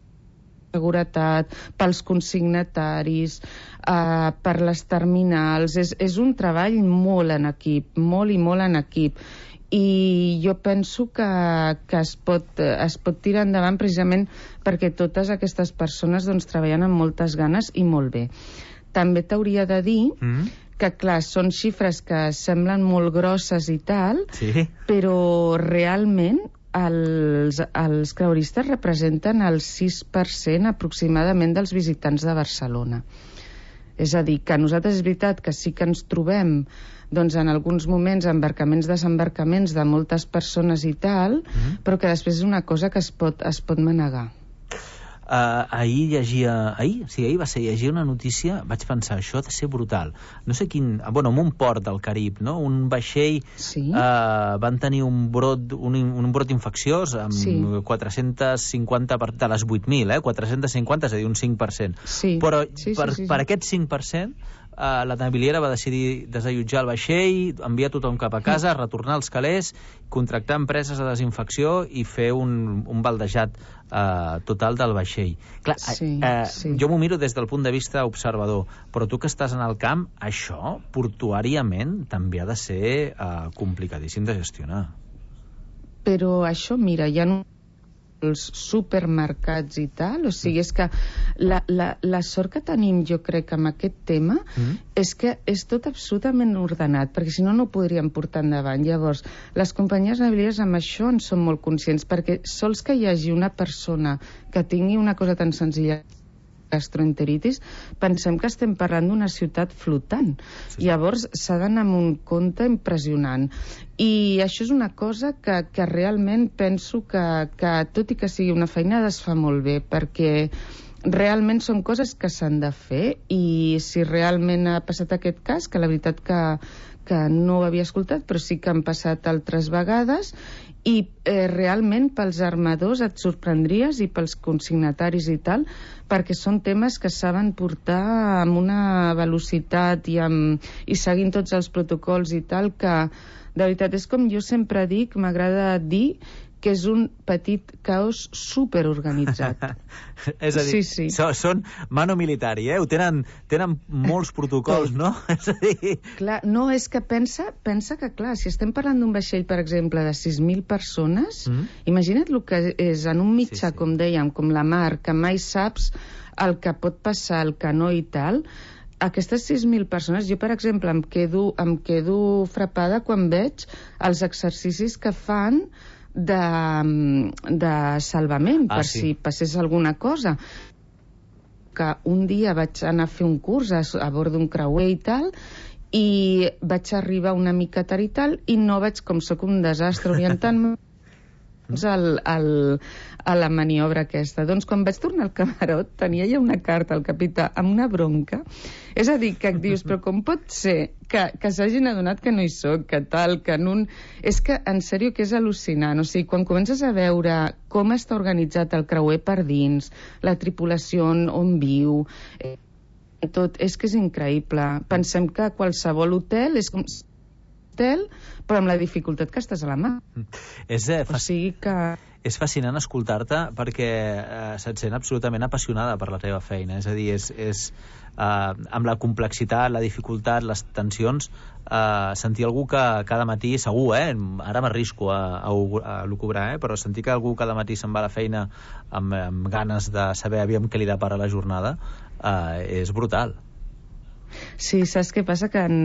seguretat, pels consignataris, eh, per les terminals. És, és un treball molt en equip, molt i molt en equip. I jo penso que, que es, pot, es pot tirar endavant precisament perquè totes aquestes persones doncs, treballen amb moltes ganes i molt bé. També t'hauria de dir mm. que, clar, són xifres que semblen molt grosses i tal, sí. però realment els, els creueristes representen el sis per cent aproximadament dels visitants de Barcelona. És a dir, que nosaltres és veritat que sí que ens trobem doncs en alguns moments embarcaments, desembarcaments de moltes persones i tal, mm-hmm. però que després és una cosa que es pot, es pot manegar. Uh, ahir llegia... Ahir? Sí, ahir va ser llegir una notícia, vaig pensar, això ha de ser brutal. No sé quin... Bueno, en un port del Carib, no? Un vaixell... Sí. Uh, van tenir un brot, un, un brot infecciós amb sí. quatre-cents cinquanta per, de les vuit mil, eh? quatre-cents cinquanta, és a dir, un cinc per cent. Sí. Però sí, sí, per, sí, sí. per aquest cinc per cent... Uh, la naviliera va decidir desallotjar el vaixell, enviar tothom cap a casa, retornar els calés, contractar empreses de desinfecció i fer un, un baldejat uh, total del vaixell. Clar, sí, uh, sí. Jo m'ho miro des del punt de vista observador, però tu que estàs en el camp, això, portuàriament, també ha de ser uh, complicadíssim de gestionar. Però això, mira, hi ha un els supermercats i tal, o sigui, és que la, la, la sort que tenim, jo crec, amb aquest tema, mm. és que és tot absolutament ordenat, perquè si no, no ho podríem portar endavant. Llavors, les companyies navilieres amb això en són molt conscients, perquè sols que hi hagi una persona que tingui una cosa tan senzilla gastroenteritis, pensem que estem parlant d'una ciutat flotant. Sí. Llavors s'ha d'anar amb un compte impressionant. I això és una cosa que, que realment penso que, que, tot i que sigui una feina, es fa molt bé, perquè realment són coses que s'han de fer, i si realment ha passat aquest cas, que la veritat que, que no ho havia escoltat, però sí que han passat altres vegades, i eh, realment pels armadors et sorprendries, i pels consignataris i tal, perquè són temes que saben portar amb una velocitat i, amb, i seguint tots els protocols i tal, que de veritat és com jo sempre dic, m'agrada dir que és un petit caos superorganitzat. És a dir, sí, sí. So, són mano militari, eh? Ho tenen, tenen molts protocols, no? És a dir... Clar, no, és que pensa, pensa que, clar, si estem parlant d'un vaixell, per exemple, de sis mil persones, mm. imagina't el que és en un mitjà, sí, sí. com dèiem, com la mar, que mai saps el que pot passar, el que no i tal. Aquestes sis mil persones, jo, per exemple, em quedo, em quedo frapada quan veig els exercicis que fan de, de salvament, ah, per sí. si passés alguna cosa. Que un dia vaig anar a fer un curs a, a bord d'un creuer i tal, i vaig arribar una mica tard i tal, i no vaig, com sóc un desastre orientant-me al, al, a la maniobra aquesta. Doncs quan vaig tornar al camarot tenia ja una carta al capità amb una bronca. És a dir, que et dius, però com pot ser que, que s'hagin adonat que no hi soc, que tal, que en un... És que, en sèrio, que és al·lucinant. O sigui, quan comences a veure com està organitzat el creuer per dins, la tripulació on, on viu, eh, tot, és que és increïble. Pensem que qualsevol hotel és com hotel, però amb la dificultat que estàs a la mà. És, eh, o sigui que... és fascinant escoltar-te perquè eh, se't sent absolutament apassionada per la teva feina. És a dir, és, és eh, amb la complexitat, la dificultat, les tensions, eh, sentir algú que cada matí, segur, eh, ara m'arrisco a, a, a lucubrar, eh, però sentir que algú cada matí se'n va a la feina amb, amb ganes de saber aviam què li depara la jornada, eh, és brutal. Sí, saps què passa? Que en...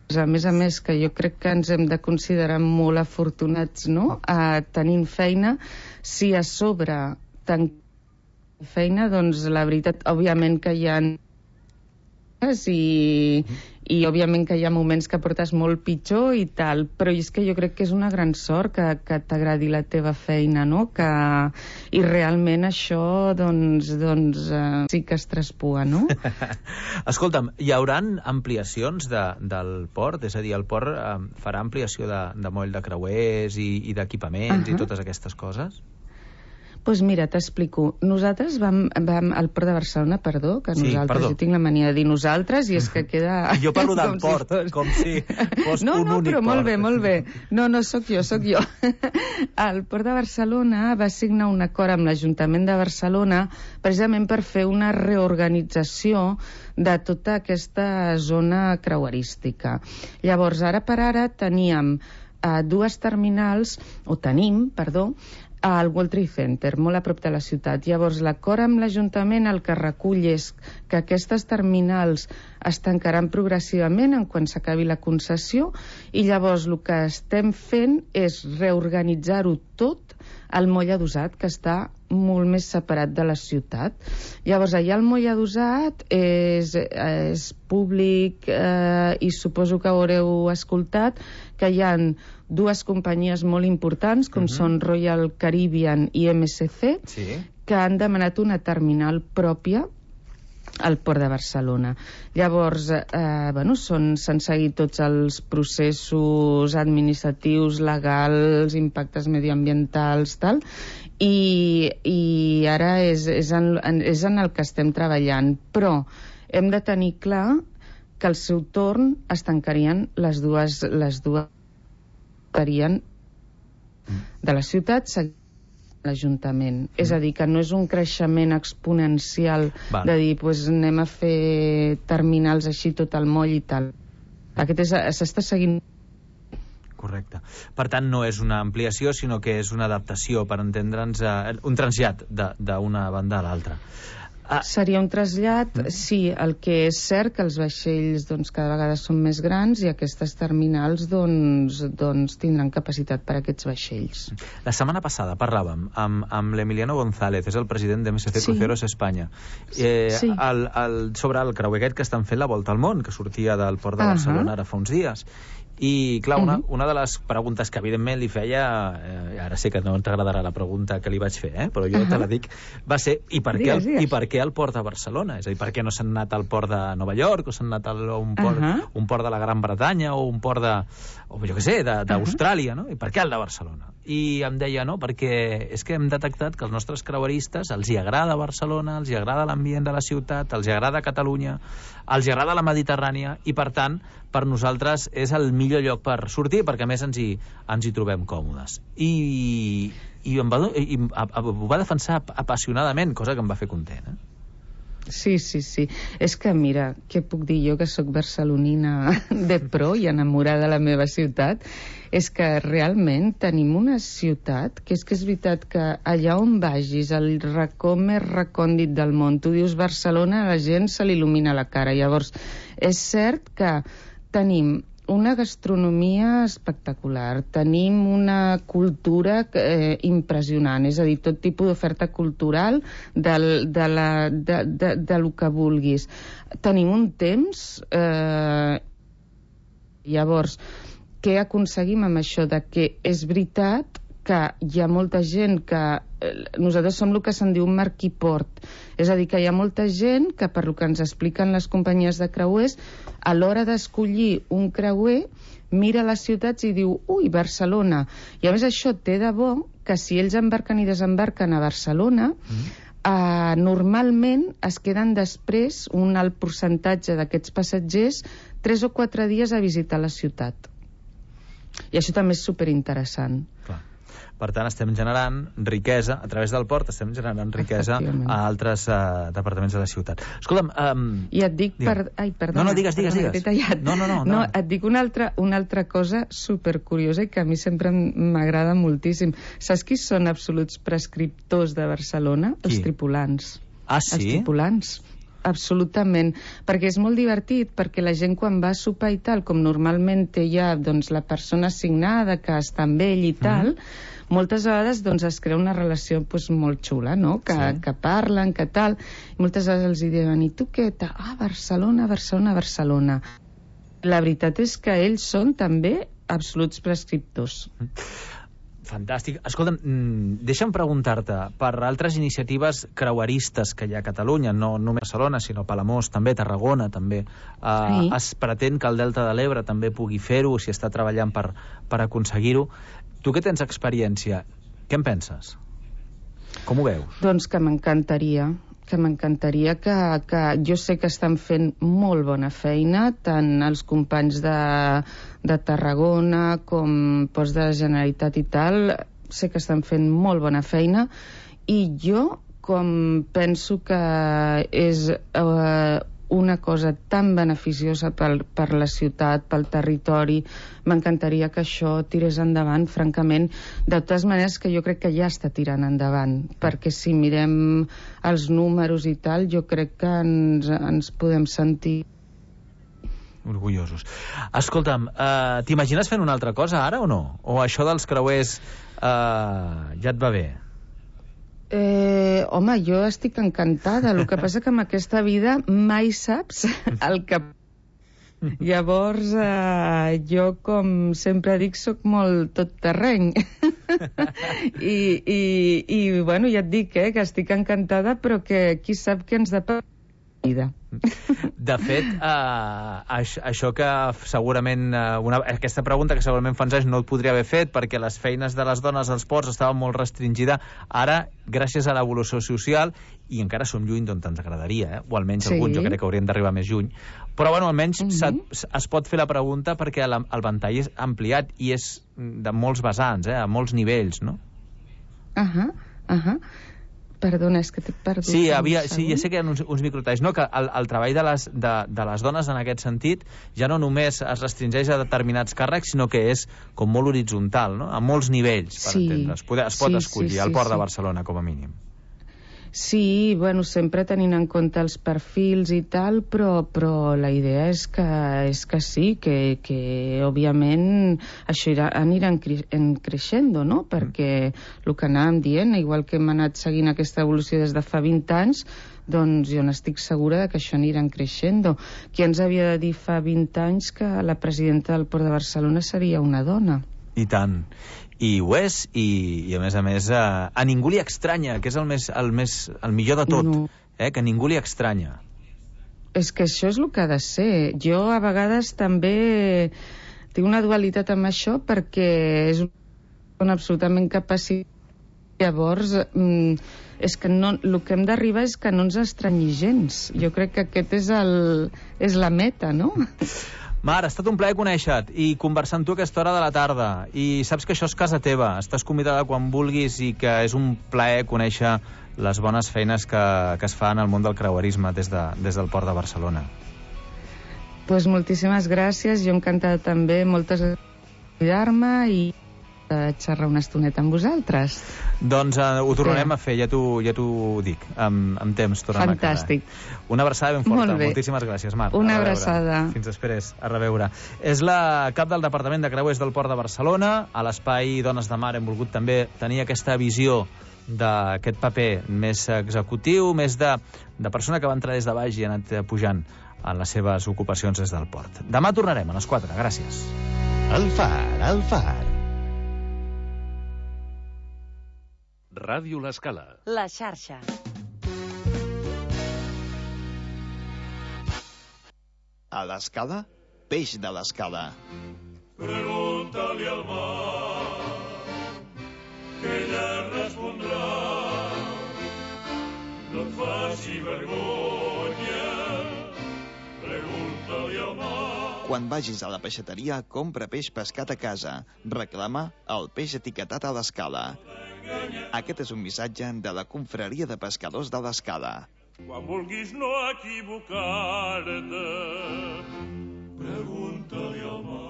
a més a més, que jo crec que ens hem de considerar molt afortunats, no?, a tenint feina. Si a sobre tant feina, doncs la veritat, òbviament que hi ha i, i òbviament que hi ha moments que portes molt pitjor i tal, però és que jo crec que és una gran sort que, que t'agradi la teva feina, no?, que, i realment això doncs, doncs uh, sí que es traspua, no? Escolta'm, hi hauran ampliacions de, del port? És a dir, el port eh, farà ampliació de, de moll de creuers i, i d'equipaments uh-huh. i totes aquestes coses? Doncs pues mira, t'explico. Nosaltres vam, vam al Port de Barcelona, perdó, que sí, nosaltres, perdó. jo tinc la mania de dir nosaltres, i és que queda... Jo parlo del port, si fos... com si fos no, un no, únic però port. Molt bé, molt bé. No, no, sóc jo, sóc jo. El Port de Barcelona va signar un acord amb l'Ajuntament de Barcelona precisament per fer una reorganització de tota aquesta zona creuerística. Llavors, ara per ara teníem eh, dues terminals, o tenim, perdó, al World Trade Center, molt a prop de la ciutat. Llavors, l'acord amb l'Ajuntament el que recull és que aquestes terminals es tancaran progressivament en quan s'acabi la concessió, i llavors el que estem fent és reorganitzar-ho tot el moll adossat, que està molt més separat de la ciutat. Llavors, allà el moll adossat és, és públic eh, i suposo que haureu escoltat que hi ha dues companyies molt importants, com uh-huh. són Royal Caribbean i M S C, sí. que han demanat una terminal pròpia al Port de Barcelona. Llavors, eh, bueno, s'han seguit tots els processos administratius, legals, impactes mediambientals, tal, i, i ara és, és, en, és en el que estem treballant. Però hem de tenir clar que al seu torn es tancarien les dues, les dues estarien de la ciutat, l'Ajuntament. Mm. És a dir, que no és un creixement exponencial Val. de dir, pues, anem a fer terminals així tot el moll i tal. Aquest és, s'està seguint. Correcte. Per tant, no és una ampliació, sinó que és una adaptació, per entendre'ns, eh, un trasllat d'una banda a l'altra. Ah. Seria un trasllat, mm. sí, el que és cert que els vaixells doncs, cada vegada són més grans i aquestes terminals doncs, doncs, tindran capacitat per a aquests vaixells. La setmana passada parlàvem amb, amb l'Emiliano González, és el president d'M S C sí. Cruceros Espanya, eh, sí. el, el, sobre el creuer aquest que estan fent la volta al món, que sortia del port de Barcelona uh -huh. ara fa uns dies. I, clar, una, una de les preguntes que evidentment li feia, eh, ara sé que no t'agradarà la pregunta que li vaig fer, eh, però jo uh-huh. te la dic, va ser, i per, digues, què el, i per què el port de Barcelona? És a dir, per què no s'han anat al port de Nova York, o s'han anat a un port, uh-huh. un port de la Gran Bretanya, o un port de, o jo què sé, d'Austràlia, uh-huh. no? I per què el de Barcelona? I em deia, no, perquè és que hem detectat que els nostres creueristes els hi agrada Barcelona, els hi agrada l'ambient de la ciutat, els hi agrada Catalunya, els hi agrada la Mediterrània, i per tant, per nosaltres és el millor lloc per sortir, perquè a més ens hi, ens hi trobem còmodes. I, i, em va, i ho va defensar apassionadament, cosa que em va fer content, eh? Sí, sí, sí. És que, mira, què puc dir jo, que sóc barcelonina de pro i enamorada de la meva ciutat, és que realment tenim una ciutat que és que és veritat que allà on vagis, el racó més recòndit del món, tu dius Barcelona, a la gent se li il·lumina la cara. Llavors, és cert que tenim una gastronomia espectacular, tenim una cultura eh, impressionant, és a dir, tot tipus d'oferta cultural del, de, la, de, de, de lo que vulguis. Tenim un temps... Eh, llavors, què aconseguim amb això? De que és veritat que hi ha molta gent que... Eh, nosaltres som el que se'n diu un marquiport, és a dir, que hi ha molta gent que, per lo que ens expliquen les companyies de creuers, a l'hora d'escollir un creuer, mira les ciutats i diu, ui, Barcelona. I a més això té de bo que si ells embarquen i desembarquen a Barcelona, mm. eh, normalment es queden després, un alt percentatge d'aquests passatgers, tres o quatre dies a visitar la ciutat. I això també és superinteressant. Clar. Per tant, estem generant riquesa, a través del port estem generant riquesa a altres uh, departaments de la ciutat. Escolta'm... Um, I et dic... Per... Ai, perdona. No, no, digues, digues, perdona, digues. No, no, no, no. No, et dic una altra, una altra cosa supercuriosa i que a mi sempre m'agrada moltíssim. Saps qui són absoluts prescriptors de Barcelona? Qui? Els tripulants. Ah, sí? Els tripulants. Absolutament, perquè és molt divertit, perquè la gent quan va a sopar i tal, com normalment té ja doncs, la persona assignada que està amb ell i tal, mm. moltes vegades doncs, es crea una relació doncs, molt xula, no? Que, sí. que parlen, que tal, i moltes vegades els diuen, i tu què? Ah, Barcelona, Barcelona, Barcelona. La veritat és que ells són també absoluts prescriptors. Mm. Fantàstic. Escolta'm, deixa'm preguntar-te per altres iniciatives creueristes que hi ha a Catalunya, no només Barcelona, sinó Palamós, també Tarragona, també. Uh, sí. Es pretén que el Delta de l'Ebre també pugui fer-ho, si està treballant per, per aconseguir-ho. Tu que tens experiència, què en penses? Com ho veus? Doncs que m'encantaria, que m'encantaria que, que jo sé que estan fent molt bona feina, tant els companys de, de Tarragona com Ports de la Generalitat i tal, sé que estan fent molt bona feina, i jo, com penso que és eh, una cosa tan beneficiosa per, per la ciutat, pel territori, m'encantaria que això tirés endavant, francament. De totes maneres, que jo crec que ja està tirant endavant, perquè si mirem els números i tal, jo crec que ens, ens podem sentir orgullosos. Escolta'm, uh, t'imagines fent una altra cosa ara o no? O això dels creuers uh, ja et va bé? Eh, home, jo estic encantada. El que passa que amb aquesta vida mai saps el que... Llavors, eh, jo, com sempre dic, sóc molt tot terreny. I, i, i, bueno, ja et dic, eh, que estic encantada, però que qui sap què ens depara la vida. De fet, uh, això, això que segurament uh, una, aquesta pregunta que segurament fa uns anys no et podria haver fet perquè les feines de les dones als ports estaven molt restringida, ara gràcies a l'evolució social, i encara som lluny d'on ens agradaria, eh? O almenys sí. Alguns jo crec que haurien d'arribar més lluny, però bueno, almenys mm-hmm. es pot fer la pregunta perquè el, el ventall és ampliat i és de molts vessants, eh? A molts nivells, no? Ahà, ahà. Perdona, és que t'he perdut. Sí, havia, sí, ja sé que hi ha uns, uns microtalls. No, que el, el treball de les, de, de les dones en aquest sentit ja no només es restringeix a determinats càrrecs, sinó que és com molt horitzontal, no? A molts nivells, per sí. entendre. Es, poder, es pot sí, escollir sí, sí, al Port sí. de Barcelona, com a mínim. Sí, bueno, sempre tenint en compte els perfils i tal, però, però la idea és que, és que sí, que, que òbviament això irà, anirà en creixendo, no? Perquè el que anàvem dient, igual que hem anat seguint aquesta evolució des de fa vint anys, doncs jo n'estic segura de que això anirà creixendo. Qui ens havia de dir fa vint anys que la presidenta del Port de Barcelona seria una dona? I tant. I ho és, i, i a més a més a, a ningú li estranya, que és el, més, el, més, el millor de tot, no. eh? Que ningú li estranya. És que això és el que ha de ser. Jo a vegades també tinc una dualitat amb això perquè és una absolutament capacitat. Llavors, mm, és que no, el que hem d'arribar és que no ens estranyi gens. Jo crec que aquest és, el, és la meta, no? Mar, ha estat un plaer conèixer-te i conversar amb tu a aquesta hora de la tarda. I saps que això és casa teva. Estàs convidada quan vulguis i que és un plaer conèixer les bones feines que, que es fan al món del creuerisme des, de, des del Port de Barcelona. Pues moltíssimes gràcies. Jo encantada també. Moltes gràcies per cuidar-me i de xerrar una estoneta amb vosaltres. Doncs uh, ho tornarem sí. a fer, ja t'ho ja dic, amb, amb temps tornem Fantàstic. a quedar. Una abraçada ben forta, moltíssimes gràcies, Mar. Una abraçada. Fins després, a reveure. És la cap del Departament de Creuers del Port de Barcelona. A l'espai Dones de Mar hem volgut també tenir aquesta visió d'aquest paper més executiu, més de, de persona que va entrar des de baix i ha anat pujant en les seves ocupacions des del port. Demà tornarem a les quatre, gràcies. El Far, el Far. Ràdio L'Escala. La xarxa. A l'Escala, peix de l'Escala. Pregunta-li al mar, que ella respondrà. No et faci vergonya, pregunta-li al mar. Quan vagis a la peixateria, compra peix pescat a casa. Reclama el peix etiquetat a l'Escala. Aquest és un missatge de la Confraria de Pescadors de l'Escala. Quan vulguis no equivocar-te, pregunta-li al mar.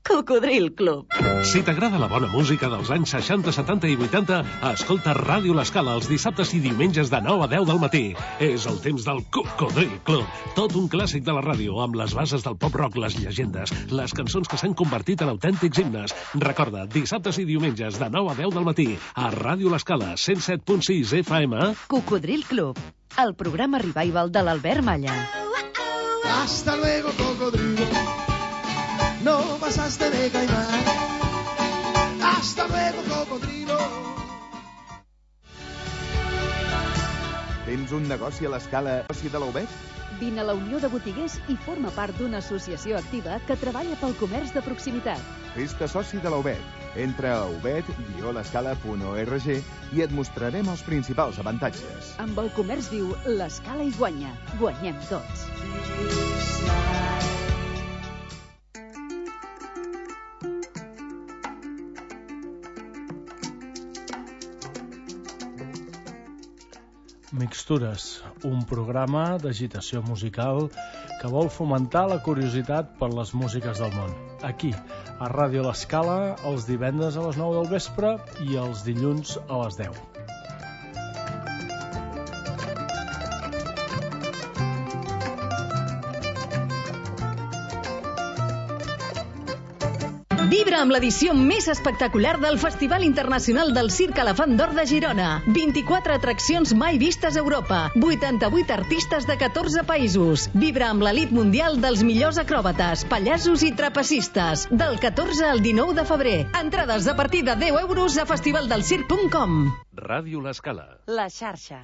Cocodril Club. Si t'agrada la bona música dels anys seixanta, setanta i vuitanta, escolta Ràdio L'Escala els dissabtes i diumenges de nou a deu del matí. És el temps del Cocodril Club. Tot un clàssic de la ràdio, amb les bases del pop-rock, les llegendes, les cançons que s'han convertit en autèntics himnes. Recorda, dissabtes i diumenges de nou a deu del matí, a Ràdio L'Escala, cent set punt sis F M. Cocodril Club, el programa revival de l'Albert Malla. Hasta luego, cocodrilo. No pasaste de caimán. Hasta luego, cocodrilo. Tens un negoci a l'Escala, negoci de l'Aubet? Vine a la Unió de Botiguers i forma part d'una associació activa que treballa pel comerç de proximitat. Fes-te soci de l'Aubet. Entra a aubet guió l'escala punt org i et mostrarem els principals avantatges. Amb el comerç viu, l'Escala hi guanya. Guanyem tots. Mixtures, un programa d'agitació musical que vol fomentar la curiositat per les músiques del món. Aquí, a Ràdio L'Escala, els divendres a les nou del vespre i els dilluns a les deu. Vibra amb l'edició més espectacular del Festival Internacional del Circ Elefant d'Or de Girona. vint-i-quatre atraccions mai vistes a Europa. vuitanta-vuit artistes de catorze països. Vibra amb l'elit mundial dels millors acròbates, pallassos i trapecistes. Del catorze al dinou de febrer. Entrades a partir de deu euros a festivaldelcirc punt com. Ràdio L'Escala. La xarxa.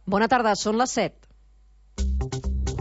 Bona tarda, són les set.